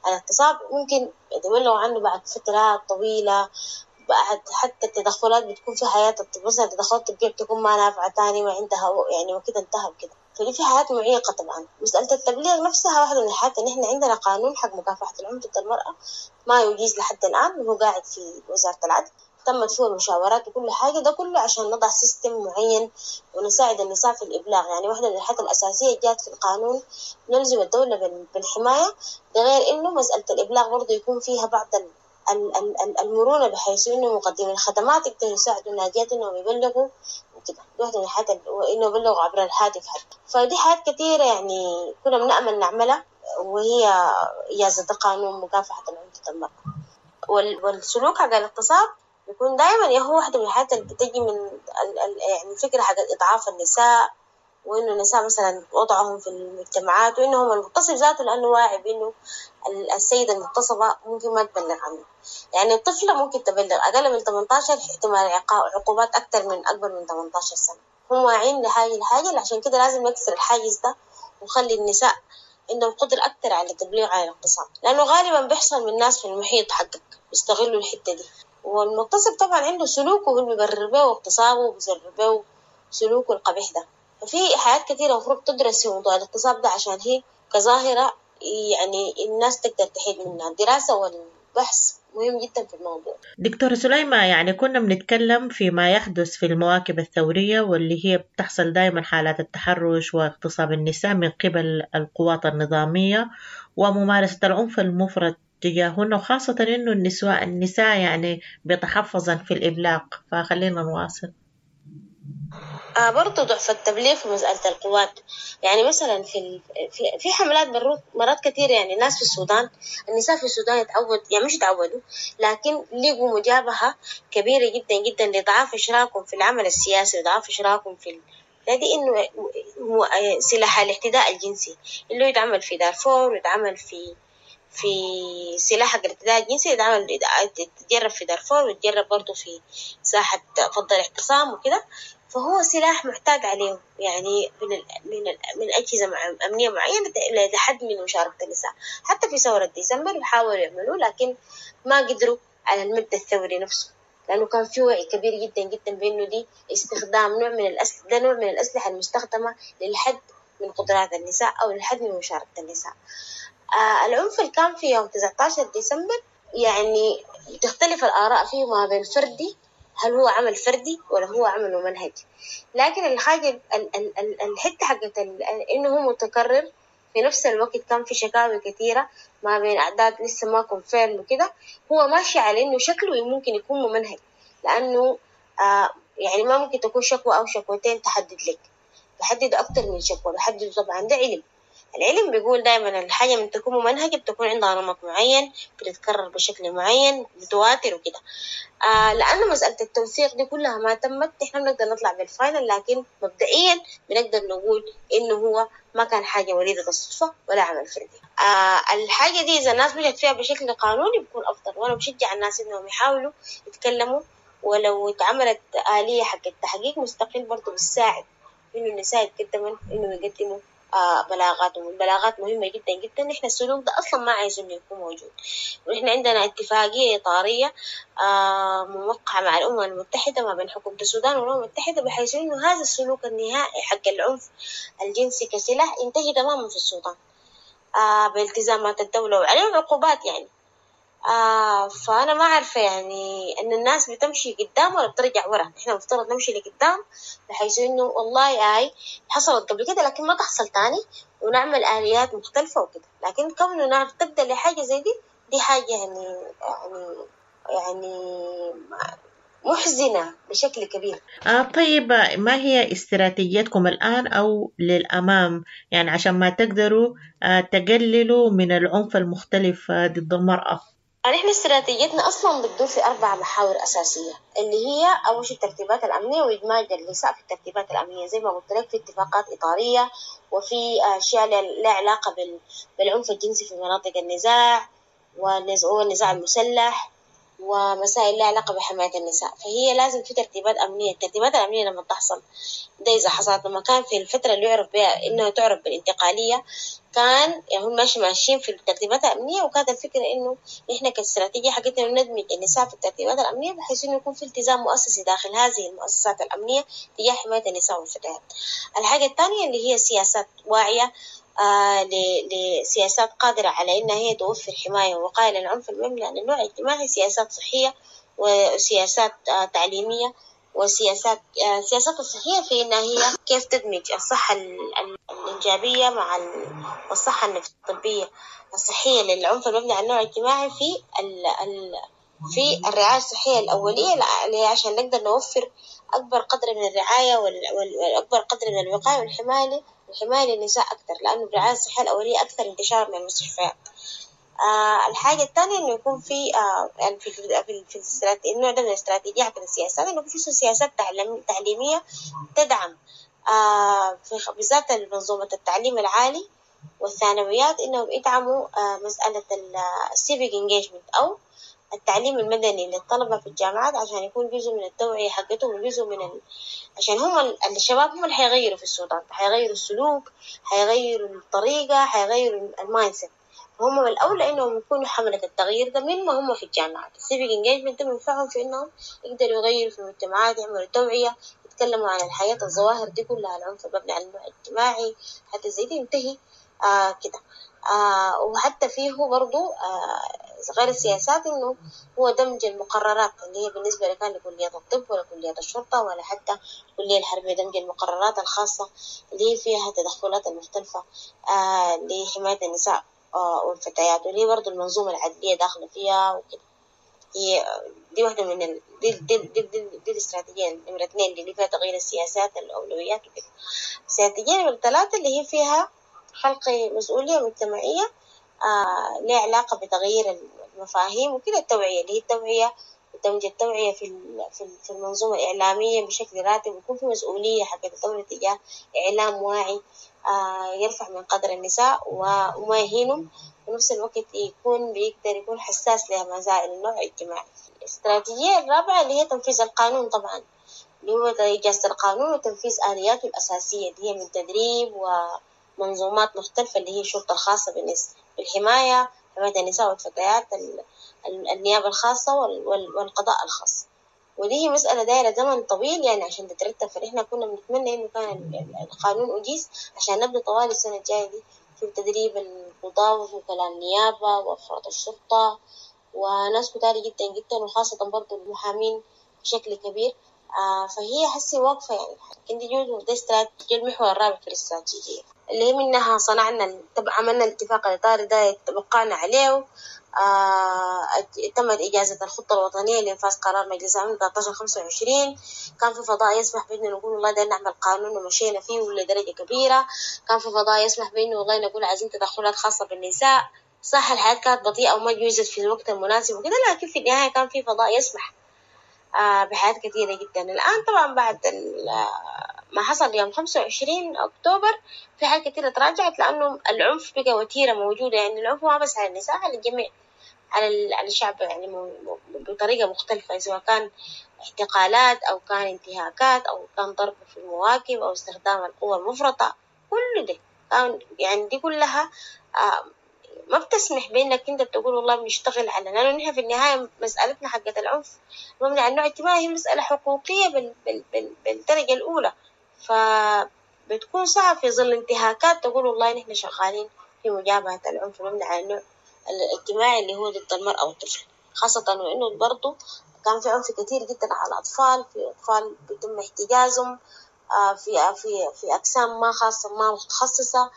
عن الاغتصاب، ممكن يتبلغوا عنه بعد فترات طويلة، بعد حتى التدخلات بتكون في حياة الطب، مثلا التدخلات الطبية بتكون ما نافعة تاني، ما عندها يعني وكده انتهى وكده، فدي في حالات معيقة طبعا. مسألة التبليغ نفسها واحدة من الحالات، إن إحنا عندنا قانون حق مكافحة العنف ضد المرأة ما يجيز لحد الآن، وهو قاعد في وزارة العدل. تمت فيه المشاورات وكل حاجة، ده كله عشان نضع system معين ونساعد النساء في الإبلاغ. يعني واحدة من الحاجات الأساسية جات في القانون نلزم الدولة بالحماية، ده غير إنه مسألة الإبلاغ برضو يكون فيها بعض المرونة بحيث إنه مقدمي الخدمات يقدروا يساعدوا الناجيات إنهم يبلغوا وكده. دي واحدة من الحاجات، وإنه يبلغوا عبر الهاتف حتى. فدي حاجات كثيرة يعني كنا بنأمل نعملها، وهي إجازة قانون مكافحة العنف ضد المرأة. والسلوك حق الاغتصاب يكون دائما هو واحدة من الحاجات اللي بتجي من ال ال يعني فكرة حق إضعاف النساء، وإنه النساء مثلا وضعهم في المجتمعات، وإنهم المغتصب ذاته لأنه واعي بإنه السيدة المغتصبة ممكن ما تبلغ عنه. يعني الطفلة ممكن تبلغ أقل من ثمانية عشر احتمال عقوبات أكثر من أكبر من ثمانية عشر سنة. هم واعيين لهذه الحاجة، عشان كده لازم نكسر الحاجز ده ونخلي النساء عندهم قدرة أكثر على التبليغ عن الاغتصاب، لأنه غالبا بيحصل من الناس في المحيط حقك بيستغلوا الحتة دي. والمغتصب طبعا عنده سلوكه هو اللي بيبرر به اغتصابه وبيبرر به سلوكه القبيح ده. ففي حاجات كثيرة المفروض تدرس في موضوع الاغتصاب ده، عشان هي كظاهرة يعني الناس تقدر تحيد منها. الدراسة والبحث مهم جدا في الموضوع. دكتورة سليمة، يعني كنا بنتكلم فيما يحدث في المواكب الثورية واللي هي بتحصل دائما حالات التحرش واغتصاب النساء من قبل القوات النظامية وممارسة العنف المفرط تجاههن، وخاصة إنه النساء النساء يعني بيتحفظن في الإبلاغ، فخلينا نواصل. آه برضو ضعف التبليغ في مسألة القوات. يعني مثلا في ال... في في حملات مرات كثيرة، يعني الناس في السودان، النساء في السودان يتعود، يعني مش يتعودوا، لكن لقوا مجابهة كبيرة جدا جدا لضعف إشراكهم في العمل السياسي وضعف إشراكهم في ال... دي إنه سلاح الاعتداء الجنسي اللي يتعمل في دارفور ويتعمل في في سلاح الاعتداء الجنسي يتعمل يتجرب في دارفور ويتجرب برضو في ساحة فض الاعتصام وكده. فهو سلاح محتاج عليه يعني من ال من ال من أجهزة أمنية معينة لحد من مشاركة النساء. حتى في ثورة ديسمبر حاولوا يعملوه، لكن ما قدروا على المبدأ الثوري نفسه، لأنه كان في وعي كبير جدا جدا بأنه دي استخدام نوع من الأسلحة، ده نوع من الأسلحة المستخدمة للحد من قدرات النساء أو للحد من مشاركة النساء. آه العنف اللي كان في يوم تسعة عشر ديسمبر يعني تختلف الآراء فيه ما بين فردي، هل هو عمل فردي ولا هو عمل منهجي. لكن الحاجة الحتة حقت إنه هو متكرر في نفس الوقت، كان في شكاوي كثيرة ما بين أعداد لسه ما كونفيرم وكده، هو ماشي على إنه شكله ممكن يكون ممنهج، لأنه آه يعني ما ممكن تكون شكوى أو شكوتين تحدد لك، بحدد أكتر من شكوى، بحدد طبعا ده علم. العلم بيقول دايما الحاجة من تكون ممنهجة بتكون عندها نمط معين، بتتكرر بشكل معين، متواتر وكده. آه لأنه مسألة التوثيق دي كلها ما تمت، إحنا بنقدر نطلع بال final، لكن مبدئيا بنقدر نقول إنه هو ما كان حاجة وليدة الصدفة ولا عمل فردي. آه الحاجة دي إذا الناس مشت فيها بشكل قانوني بيكون أفضل، وأنا بشجع الناس إنهم يحاولوا يتكلموا، ولو اتعملت آلية حق التحقيق مستقل برضو بتساعد إنه النساء يتقدموا، إنه يقدموا آه بلاغاتهم. البلاغات مهمة جدا جدا. نحن السلوك ده أصلا ما عايزين يكون موجود، ونحن عندنا اتفاقية إطارية آه موقعة مع الأمم المتحدة ما بين حكومة السودان والأمم المتحدة، بحيث إنه هذا السلوك النهائي حق العنف الجنسي كسلاح ينتهي تماما في السودان آه بالتزامات الدولة وعليه عقوبات يعني. آه فأنا ما عارفة يعني أن الناس بتمشي قدام ولا بترجع ورا. إحنا مفترض نمشي لقدام بحيث إنه والله آي حصلت قبل كده لكن ما تحصل تاني، ونعمل آليات مختلفة وكده. لكن كونه نرتد لحاجة زي دي، دي حاجة يعني يعني يعني محزنة بشكل كبير. آه طيب، ما هي استراتيجيتكم الآن أو للأمام، يعني عشان ما تقدروا آه تقللوا من العنف المختلف آه ضد المرأة؟ نحن استراتيجيتنا أصلاً بتدور في أربع محاور أساسية، اللي هي أول شيء الترتيبات الأمنية وإدماج النساء في الترتيبات الأمنية زي ما قلت لك، في اتفاقات إطارية وفي أشياء لها علاقة بالعنف الجنسي في مناطق النزاع والنزاع المسلح ومسائل لها علاقة بحماية النساء. فهي لازم في ترتيبات أمنية. الترتيبات الأمنية لما تحصل ده إذا حصلت لما كان في الفترة اللي يعرف بها إنها تعرف بالانتقالية، كان يعني هم ماشي ماشيين في الترتيبات الأمنية، وكانت الفكرة إنه إحنا كاستراتيجية حقتنا ندمج النساء في الترتيبات الأمنية بحيث إنه يكون في التزام مؤسسي داخل هذه المؤسسات الأمنية تجاه حماية النساء والفتيات. الحاجة الثانية اللي هي سياسات واعية، آه لسياسات قادرة على إنها هي توفر حماية ووقاية للعنف المبني على النوع الاجتماعي، سياسات صحية وسياسات تعليمية وسياسات السياسات الصحية في إنها هي كيف تدمج الصحة الإنجابية مع الصحة النفسية الطبية الصحية للعنف المبني على النوع الاجتماعي في ال ال في الرعاية الصحية الأولية، اللي عشان نقدر نوفر أكبر قدر من الرعاية وأكبر قدر من الوقاية والحماية والحماية للنساء أكثر، لأنه الرعاية الصحية الأولية أكثر انتشارا من المستشفيات. آه الحاجة الثانية إنه يكون في آه يعني في في في النوع ده من الاستراتيجية حتى السياسات، إنه يكون في سياسات تعليمية تدعم آه في بالذات منظومة التعليم العالي والثانويات، إنهم يدعموا آه مسألة ال civic engagement أو التعليم المدني للطلبة في الجامعات، عشان يكون جزء من التوعية حقتهم وجزء من ال... عشان هم الشباب هم اللي حيغيروا في السودان، حيغيروا السلوك، حيغيروا الطريقة، حيغيروا ال mindset. هم من الأولى إنهم يكونوا حملة التغيير ده من ما هم في الجامعات. ال civic engagement ده بينفعهم في إنهم يقدروا يغيروا في المجتمعات، يعملوا توعية، يتكلموا عن الحياة، الظواهر دي كلها، العنف المبني على النوع الاجتماعي حتى زي دي ينتهي آه كده. آه وحتى فيه برضو آه غير السياسات إنه هو دمج المقررات اللي هي بالنسبة لكان لكلية الطب ولا كلية الشرطة ولا حتى الكلية الحربية، دمج المقررات الخاصة اللي هي فيها التدخلات المختلفة آه لحماية النساء آه والفتيات، واللي برضو المنظومة العدلية داخلة فيها وكده. هي دي واحدة من ال... دي, دي, دي, دي, دي الاستراتيجية نمرة اثنين اللي فيها تغيير السياسات الأولويات وكده. الاستراتيجية نمرة ثلاثة اللي هي فيها خلق مسؤولية مجتمعية آه لها علاقة بتغيير المفاهيم وكده، التوعية اللي هي التوعية ودمج التوعية في في المنظومة الإعلامية بشكل راتب، ويكون في مسؤولية حق الدولة تجاه إعلام واعي آه يرفع من قدر النساء وما يهينهم، ونفس الوقت يكون بيقدر يكون حساس لمسائل النوع الاجتماعي. الاستراتيجية الرابعة اللي هي تنفيذ القانون، طبعا اللي هو إجازة القانون وتنفيذ آلياته الأساسية اللي هي من تدريب ومنظومات مختلفة اللي هي الشرطة الخاصة بالحماية، حماية النساء والفتيات، النيابة الخاصة والقضاء الخاص. ودي هي مسألة دايرة زمن طويل يعني عشان تترتب، فإحنا كنا بنتمنى إنه كان القانون أجيز عشان نبدأ طوال السنة الجاية دي في تدريب القضاة ووكلاء النيابة وأفراد الشرطة وناس كتار جدا جدا، وخاصة برضو المحامين بشكل كبير. آه فهي حسي واقفة يعني، لكن دي جزء ده استراتيجية المحور الرابع في الاستراتيجية اللي هي منها صنعنا عملنا الاتفاق الإطاري ده توقعنا عليه، آه تمت إجازة الخطة الوطنية لإنفاذ قرار مجلس الأمن ثلاثة عشر خمسة وعشرين. كان في فضاء يسمح بإنه نقول والله ده نعمل قانون ومشينا فيه لدرجة كبيرة. كان في فضاء يسمح بإنه والله نقول عايزين تدخلات خاصة بالنساء. صح الحياة كانت بطيئة وما جوزت في الوقت المناسب وكده، لكن في النهاية كان في فضاء يسمح آه بحاجات كثيرة جدا. الآن طبعا بعد ما حصل يوم خمسة وعشرين أكتوبر في حاجات كثيرة تراجعت، لأنه العنف بقى وتيرة موجودة، يعني العنف ما بس على النساء، على الجميع، على على الشعب يعني بطريقة مختلفة، سواء كان اعتقالات أو كان انتهاكات أو كان ضرب في المواكب أو استخدام القوة المفرطة، كل ده كان يعني دي كلها آه ما بتسمح بأنك أنت بتقول والله بنشتغل على، لأنه نحن في النهاية مسألتنا حقة العنف مبني على النوع الاجتماعي هي مسألة حقوقية بال بال بال بالدرجة الأولى، فبتكون صعب في ظل انتهاكات تقول والله نحن شغالين في مجابهة العنف المبني على النوع الاجتماعي اللي هو ضد المرأة والطفل، خاصة وإنه برضو كان في عنف كثير جدا على الأطفال، في أطفال بيتم احتجازهم في في في أقسام ما خاصة ما متخصصة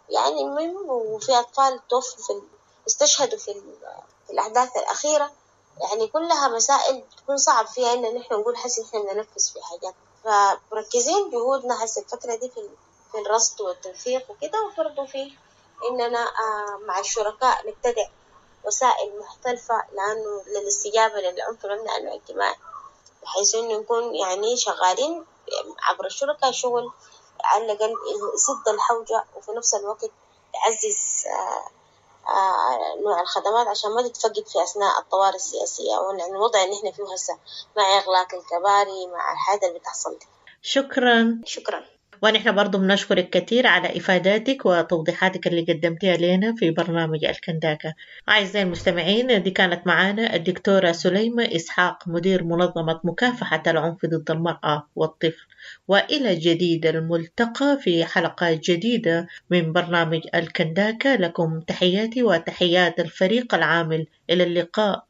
يعني، المهم وفي أطفال توفوا في استشهدوا في, في الأحداث الأخيرة، يعني كلها مسائل بتكون صعب فيها إن نحن نقول حس إحنا بننفذ في حاجات، فمركزين جهودنا حس الفترة دي في في الرصد والتوثيق وكده، وبرضه في إننا مع الشركاء نبتدع وسائل مختلفة لأنه للاستجابة للعنف المبني على الاجتماعي، بحيث إنه نكون يعني شغالين عبر الشركاء شغل على الأقل يسد الحوجة، وفي نفس الوقت يعزز نوع الخدمات عشان ما تتفقد في أثناء الطوارئ السياسية أو الوضع اللي إحنا فيه هسه مع إغلاق الكباري مع الحاجة اللي بتحصل دي. شكرا. شكرا. ونحن برضو بنشكرك كثير على إفاداتك وتوضيحاتك اللي قدمتيها لنا في برنامج الكنداكة. أعزائي المستمعين، دي كانت معنا الدكتورة سليمة إسحاق، مدير منظمة مكافحة العنف ضد المرأة والطفل. وإلى جديد الملتقى في حلقة جديدة من برنامج الكنداكة. لكم تحياتي وتحيات الفريق العامل. إلى اللقاء.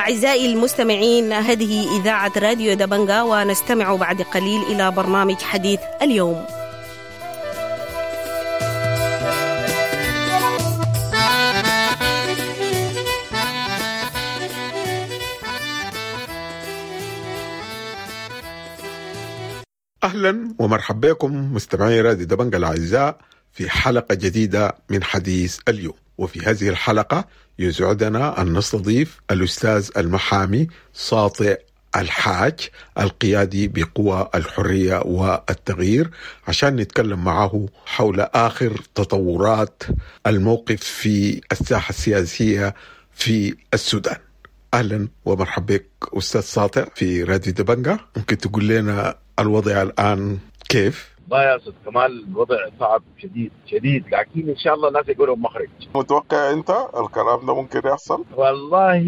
أعزائي المستمعين، هذه إذاعة راديو دبنجا، ونستمع بعد قليل إلى برنامج حديث اليوم. أهلا ومرحبا بكم مستمعي راديو دبنجا الأعزاء في حلقة جديدة من حديث اليوم. وفي هذه الحلقة يسعدنا أن نستضيف الأستاذ المحامي ساطع الحاج القيادي بقوى الحرية والتغيير عشان نتكلم معه حول آخر تطورات الموقف في الساحة السياسية في السودان. أهلا ومرحبا بك أستاذ ساطع في راديو دبنجا. ممكن تقول لنا الوضع الآن كيف؟ والله يا أستاذ كمال الوضع صعب شديد شديد، لكن إن شاء الله الناس يقولوا مخرج. متوقع أنت الكلام ده ممكن يحصل؟ والله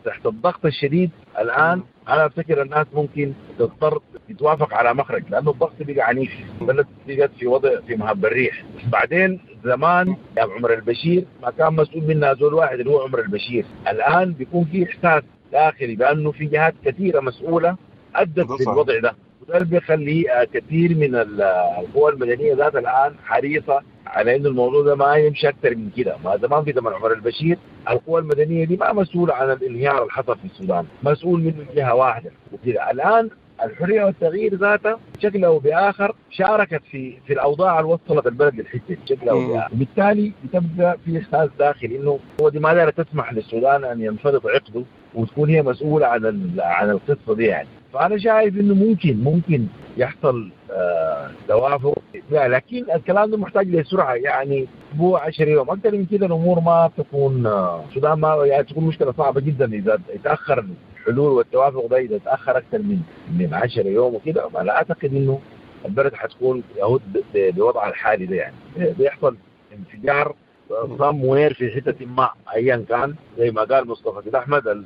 تحت الضغط الشديد الآن أنا أفتكر الناس ممكن تضطر تتوافق على مخرج، لأنه الضغط بقى عنيف، البلد بقت في وضع في مهب الريح. بعدين زمان يا عمر البشير ما كان مسؤول منها زول واحد اللي هو عمر البشير، الآن بيكون في إحساس داخلي بأنه في جهات كثيرة مسؤولة أدت للوضع ده، وده اللي بيخلي كثير من القوى المدنية ذات الآن حريصة على إنه الموضوع ده ما يمشي أكثر من كده. ما زمان في زمن عمر البشير القوى المدنية دي ما مسؤولة عن الانهيار اللي حصل في السودان، مسؤول منه جهة واحدة وكده. الآن الحرية والتغيير ذاتها بشكل أو بآخر شاركت في في الأوضاع اللي وصلت البلد للحتة بشكل أو بآخر، وبالتالي بتبقى في إحساس داخلي إنه هو دي ما دارت تسمح للسودان أن ينفرط عقده وتكون هي مسؤولة عن عن القصة دي يعني. فأنا شايف إنه ممكن ممكن يحصل آه توافق، لكن الكلام ده محتاج لسرعة، يعني أسبوع عشر يوم أكثر من كده الأمور ما تكون السودان ما يعني تكون مشكلة صعبة جدا إذا تأخر الحلول والتوافق ده، إذا تأخر أكثر من من عشر يوم وكده لا أعتقد إنه البلد حتكون يهود بوضعها الحالي ده، يعني بيحصل انفجار صم وير في حتة ما أيا كان، زي ما قال مصطفى سيد أحمد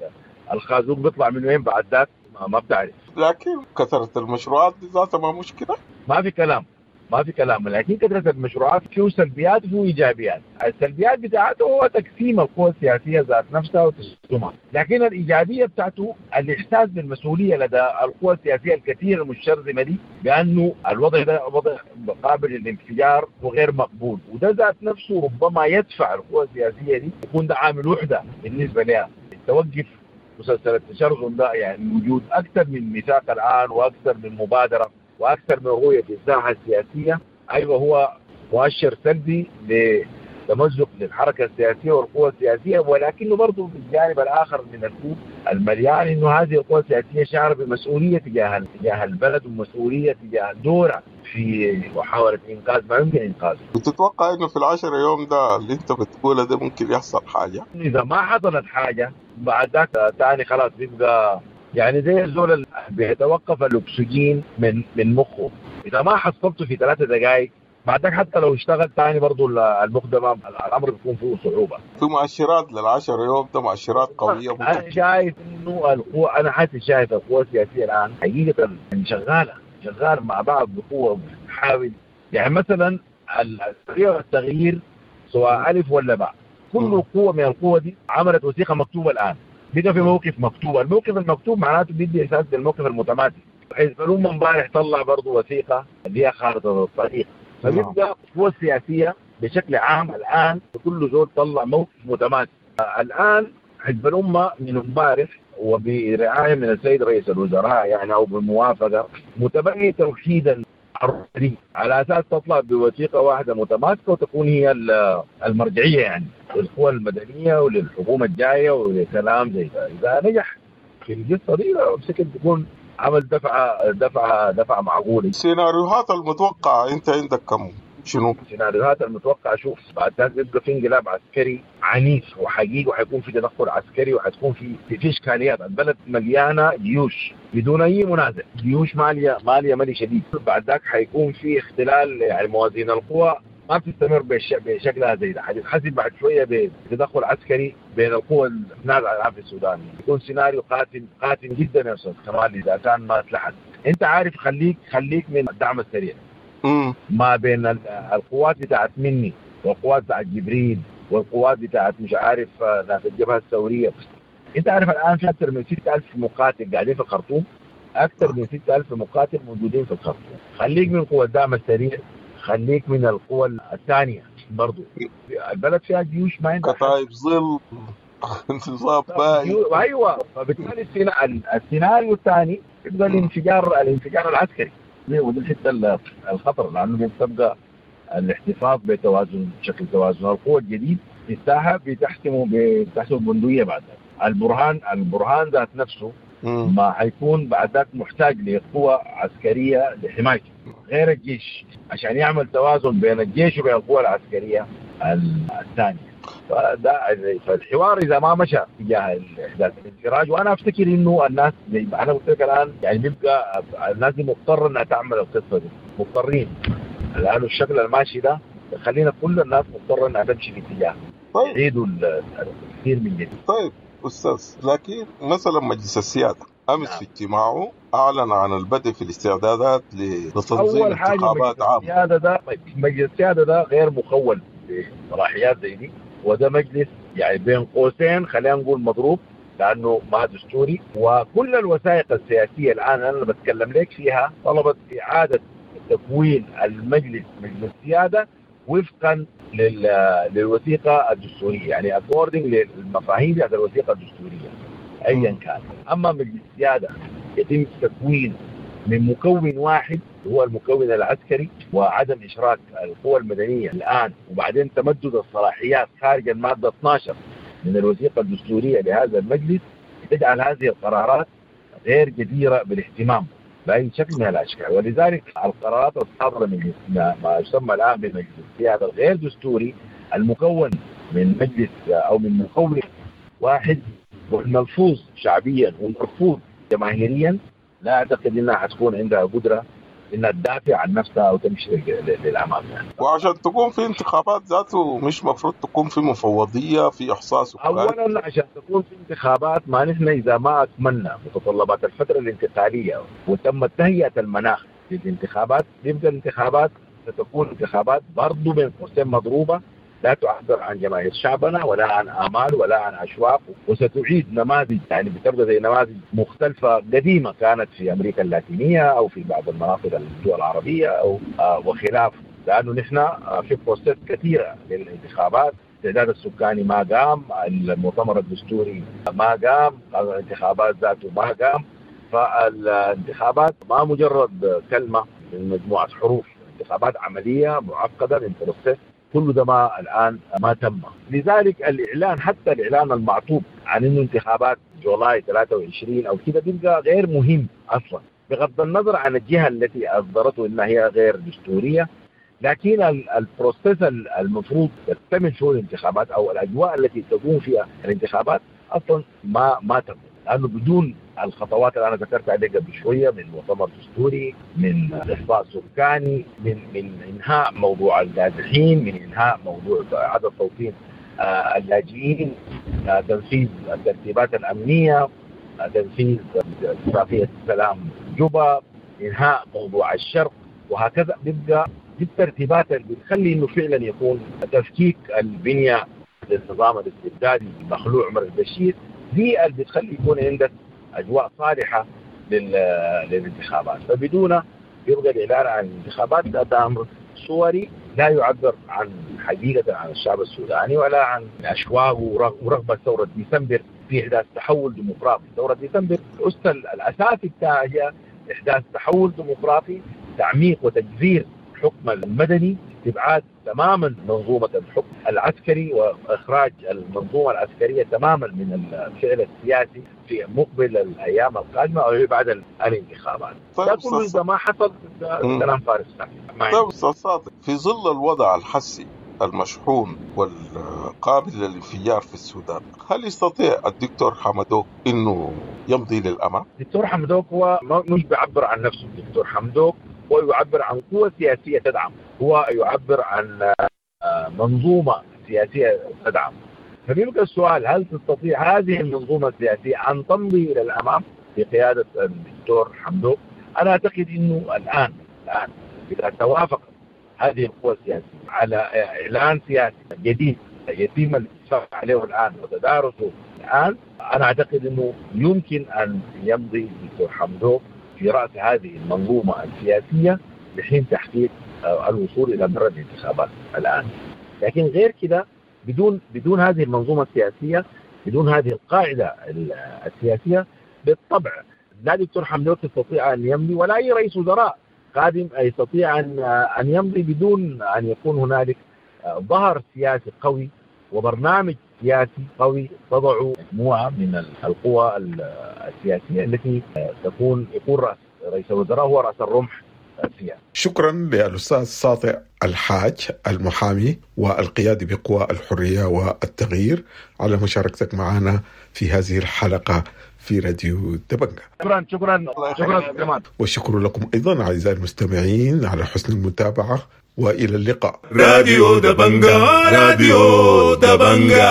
الخازوق بيطلع من وين بعد ذاك ما بتعرف. لكن كثرة المشروعات دي ذاتها ما مشكلة، ما في كلام ما في كلام، لكن كثرة المشروعات فيه سلبيات وفيه إيجابيات. السلبيات بتاعته هو تقسيم القوى السياسية ذات نفسها وتشتمها، لكن الإيجابية بتاعته الإحساس بالمسؤولية لدى القوى السياسية الكثيرة المشرذمة دي بأنه الوضع ده وضع قابل للانفجار وغير مقبول، وده ذات نفسه ربما يدفع القوى السياسية دي يكون ده عامل وحدة بالنسبة لها توقف مسلسل التشرذم ده. يعني وجود أكثر من ميثاق الآن وأكثر من مبادرة وأكثر من رؤية في الساحة السياسية، أيوة هو مؤشر سلبي لتمزق للحركة السياسية والقوى السياسية، ولكنه برضه في الجانب الآخر من الكوب المليان إنه هذه القوى السياسية شعر بمسؤولية تجاه تجاه البلد ومسؤولية تجاه دورها في محاولة إنقاذ ما يمكن إنقاذه. بتتوقع إنه في العشر يوم ده اللي أنت بتقوله ده ممكن يحصل حاجة؟ إذا ما حصلت حاجة بعد ذاك تاني خلاص بيبقى يعني زي الزول اللي بيتوقف الأكسجين من من مخه، إذا ما حصلته في ثلاثة دقائق بعد ذاك حتى لو اشتغل تاني برضو المخ ده الأمر بيكون فيه صعوبة. في مؤشرات للعشر يوم ده، مؤشرات قوية. أنا شايف إنه القوة، أنا حاسس شايف القوة السياسية الآن حقيقة شغالة شغال مع بعض بقوة بتحاول، يعني مثلا الحرية والتغيير سواء ألف ولا باء، كل قوة من القوة دي عملت وثيقة مكتوبة الآن، بقى في موقف مكتوب. الموقف المكتوب معناته بيدي إحساس بالموقف المتماسك. حزب الأمة امبارح طلع برضه وثيقة اللي هي خارطة الطريق، فبيبقى القوى السياسية بشكل عام الآن كل زول طلع موقف متماسك. الآن حزب الأمة من امبارح وبرعاية من السيد رئيس الوزراء يعني أو بالموافقة متبني توحيدا على أساس تطلع بوثيقة واحدة متماسكة وتكون هي المرجعية يعني للقوى المدنية وللحكومة الجاية ولكلام زي ده. إذا نجح في القصة دي بشكل تكون عمل دفعة دفعة دفعة معقولة. السيناريوهات المتوقعة أنت عندك كم؟ شنو؟ السيناريوهات المتوقعة شوف بعد ذلك بيبقى في انقلاب عسكري عنيف وحقيقي، وحيكون في تدخل عسكري، وحتكون في في اشكاليات. البلد مليانة جيوش بدون اي منازع، جيوش ماليه ماليه مالي شديد. بعد ذاك حيكون في اختلال يعني موازين القوى ما بتستمر بشكلها زي ده، حتتحسب بعد شوية بتدخل عسكري بين القوى النازعه الان في السودان. يكون سيناريو قاتل قاتل جدا يا استاذ كمال اذا كان ما اتلحق. انت عارف خليك خليك من الدعم السريع ما بين القوات بتاعت مني والقوات بتاعت جبريل والقوات بتاعت مش عارف ناس الجبهة الثورية، انت عارف الان في اكثر من ستة آلاف مقاتل قاعدين في الخرطوم، اكثر من ستة آلاف مقاتل موجودين في الخرطوم. خليك من قوى الدعم السريع، خليك من القوى الثانية برضو. البلد فيها جيوش ما عندها كتائب ظل انتصاب باي. ايوه، فبالتالي السيناريو الثاني يبقى الانفجار، الانفجار العسكري، وده الحتة الخطر، لانه بتبقى الاحتفاظ بتوازن شكل توازن القوى الجديد في الساحة بتحسمه بتحسمه بندقية بعد ذلك. البرهان البرهان ذات نفسه ما حيكون بعد ذاك محتاج لقوة عسكرية لحمايته غير الجيش، عشان يعمل توازن بين الجيش وبين القوى العسكرية الثانية. فده فالحوار اذا ما مشى تجاه احداث الانفراج، وانا افتكر انه الناس زي ما انا قلت لك الان يعني بيبقى الناس دي مضطرة انها تعمل القصة دي، مضطرين لانه الشكل الماشي ده خلينا كل الناس مضطرة انها تمشي في اتجاه. طيب يعيدوا التفكير من جديد. طيب استاذ، لكن مثلا مجلس السيادة امس نعم. في اجتماعه اعلن عن البدء في الاستعدادات لتنظيم انتخابات عامة. السيادة ده مجلس السيادة ده غير مخول بصلاحيات زي دي، وده مجلس يعني بين قوسين خلينا نقول مضروب لانه ما دستوري. وكل الوثائق السياسية الان انا بتكلم لك فيها طلبت اعاده تكوين المجلس مجلس السيادة وفقا للوثيقه الدستورية، يعني according للمفاهيم بتاعت الوثيقة الدستورية ايا كان. اما مجلس السيادة يتم تكوينه من مكون واحد هو المكون العسكري، وعدم اشراك القوى المدنية الان، وبعدين تمدد الصلاحيات خارج المادة اثنا عشر من الوثيقة الدستورية لهذا المجلس تجعل هذه القرارات غير جديرة بالاهتمام باي شكل من الاشكال. ولذلك القرارات الصادرة من ما يسمى الان بمجلس السيادة الغير دستوري المكون من مجلس او من مكون واحد والملفوظ شعبيا والمرفوض جماهيريا، لا اعتقد انها حتكون عندها قدره انها تدافع عن نفسها او تمشي للامام يعني. وعشان تكون في انتخابات ذاته مش مفروض تكون في مفوضيه في احصاء سكاني؟ اولا عشان تكون في انتخابات ما نحن اذا ما اكملنا متطلبات الفترة الانتقالية وتم تهيئة المناخ للانتخابات، يبقى الانتخابات ستكون انتخابات برضه بين قوسين مضروبة، لا تعبر عن جماهير شعبنا ولا عن آمال ولا عن أشواق، وستعيد نماذج يعني بتبقى زي نماذج مختلفة قديمة كانت في أمريكا اللاتينية أو في بعض المناطق الدول العربية أو آه وخلافه. لأنه نحن آه في process كثيرة للانتخابات، التعداد السكاني ما قام، المؤتمر الدستوري ما قام، الانتخابات ذاته ما قام. فالانتخابات ما مجرد كلمة من مجموعة حروف، انتخابات عملية معقدة من process، كل ده ما الآن ما تم. لذلك الإعلان حتى الإعلان المعطوب عن إنه انتخابات July ثلاثة وعشرين أو كده بيبقى غير مهم أصلا، بغض النظر عن الجهة التي أصدرته إنها هي غير دستورية. لكن ال process المفروض تكتمل فيه الانتخابات أو الأجواء التي تكون فيها الانتخابات أصلا ما ما تم، لأنه بدون الخطوات اللي أنا ذكرت عليها قبل شوية من مؤتمر دستوري، من إحصاء سكاني، من من إنهاء موضوع النازحين، من إنهاء موضوع عدم توطين آه اللاجئين، آه تنفيذ الترتيبات الأمنية، آه تنفيذ اتفاقية السلام جوبا، إنهاء موضوع الشرق، وهكذا. بيبقى دي الترتيبات اللي بتخلي إنه فعلا يكون تفكيك البنية للنظام الاستبدادي المخلوع عمر البشير، دي اللي بتخلي يكون عندك أجواء صالحة للانتخابات. فبدون يبقى الإعلان عن الانتخابات ده أمر صوري لا يعبر عن حقيقة عن الشعب السوداني ولا عن أشواقه ورغبة ثورة ديسمبر في إحداث تحول ديمقراطي. ثورة ديسمبر الأس الأساسي بتاعها هي إحداث تحول ديمقراطي، تعميق وتجذير الحكم المدني، استبعاد تماما منظومة الحكم العسكري وإخراج المنظومة العسكرية تماما من الفعل السياسي في مقبل الأيام القادمة أو بعد الانتخابات. طيب ده كله إذا ما حصل كلام فارغ. طيب أستاذ صادق، في ظل الوضع الحسي المشحون والقابل للانفجار في السودان، هل يستطيع الدكتور حمدوك إنه يمضي للأمام؟ الدكتور حمدوك هو مش بيعبر عن نفسه، الدكتور حمدوك هو يعبر عن قوة سياسية تدعم، هو يعبر عن منظومة سياسية تدعم. فبيبقى السؤال، هل تستطيع هذه المنظومة السياسية أن تمضي إلى الأمام بقيادة الدكتور حمدوك؟ أنا أعتقد أنه الآن الآن إذا توافقت هذه القوى السياسية على إعلان سياسي جديد يتم الاتفاق عليه الآن وتدارسه الآن أنا أعتقد أنه يمكن أن يمضي دكتور حمدوك في رأس هذه المنظومة السياسية لحين تحقيق الوصول إلى بر الانتخابات الآن. لكن غير كده بدون بدون هذه المنظومة السياسية، بدون هذه القاعدة السياسية، بالطبع لا دكتور حمدوك يستطيع أن يمضي ولا أي رئيس وزراء قادم يستطيع أن أن يمضي بدون أن يكون هنالك ظهر سياسي قوي وبرنامج سياسي قوي تضع مجموعة من القوى السياسية التي تكون يكون رأس رئيس الوزراء هو رأس الرمح السياسي. شكرا للأستاذ ساطع الحاج المحامي والقيادي بقوى الحرية والتغيير على مشاركتك معنا في هذه الحلقة في راديو دبنجة. شكرا شكرا شكرا كمان، والشكر لكم أيضا أعزائي المستمعين على حسن المتابعة، وإلى اللقاء. راديو دبنجة، راديو دبنجة.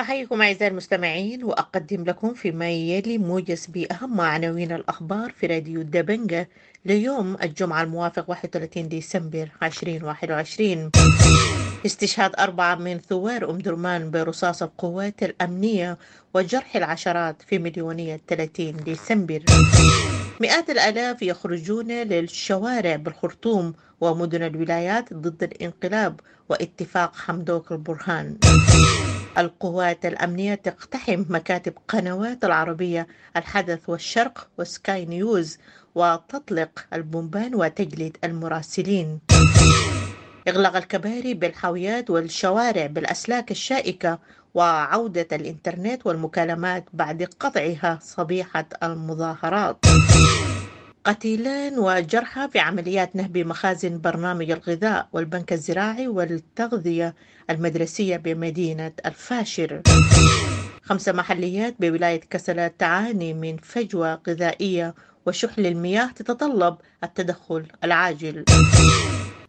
أحييكم أعزائي المستمعين وأقدم لكم فيما يلي موجز بأهم عناوين الأخبار في راديو دبنجة ليوم الجمعة الموافق واحد وثلاثين ديسمبر ألفين وواحد وعشرين. استشهاد أربعة من ثوار أم درمان برصاص القوات الأمنية وجرح العشرات في مليونية ثلاثين ديسمبر. مئات الآلاف يخرجون للشوارع بالخرطوم ومدن الولايات ضد الانقلاب واتفاق حمدوك البرهان. القوات الأمنية تقتحم مكاتب قنوات العربية الحدث والشرق وسكاي نيوز وتطلق البومبان وتجلد المراسلين. إغلاق الكباري بالحاويات والشوارع بالأسلاك الشائكة وعودة الإنترنت والمكالمات بعد قطعها صبيحة المظاهرات. قتيلان وجرحى في عمليات نهب مخازن برنامج الغذاء والبنك الزراعي والتغذية المدرسية بمدينة الفاشر. خمس محليات بولاية كسلة تعاني من فجوة غذائية وشح للمياه تتطلب التدخل العاجل.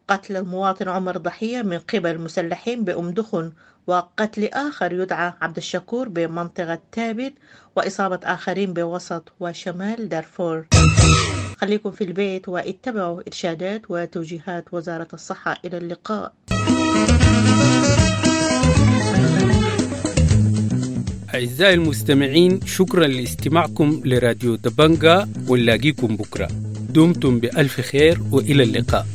قتل المواطن عمر ضحية من قبل مسلحين بأم دخن وقتل آخر يدعى عبد الشكور بمنطقة تابت وإصابة آخرين بوسط وشمال دارفور. خليكم في البيت واتبعوا إرشادات وتوجيهات وزارة الصحة. إلى اللقاء. أعزائي المستمعين، شكرا لاستماعكم لراديو دبنجا، ونلاقيكم بكرة. دمتم بألف خير وإلى اللقاء.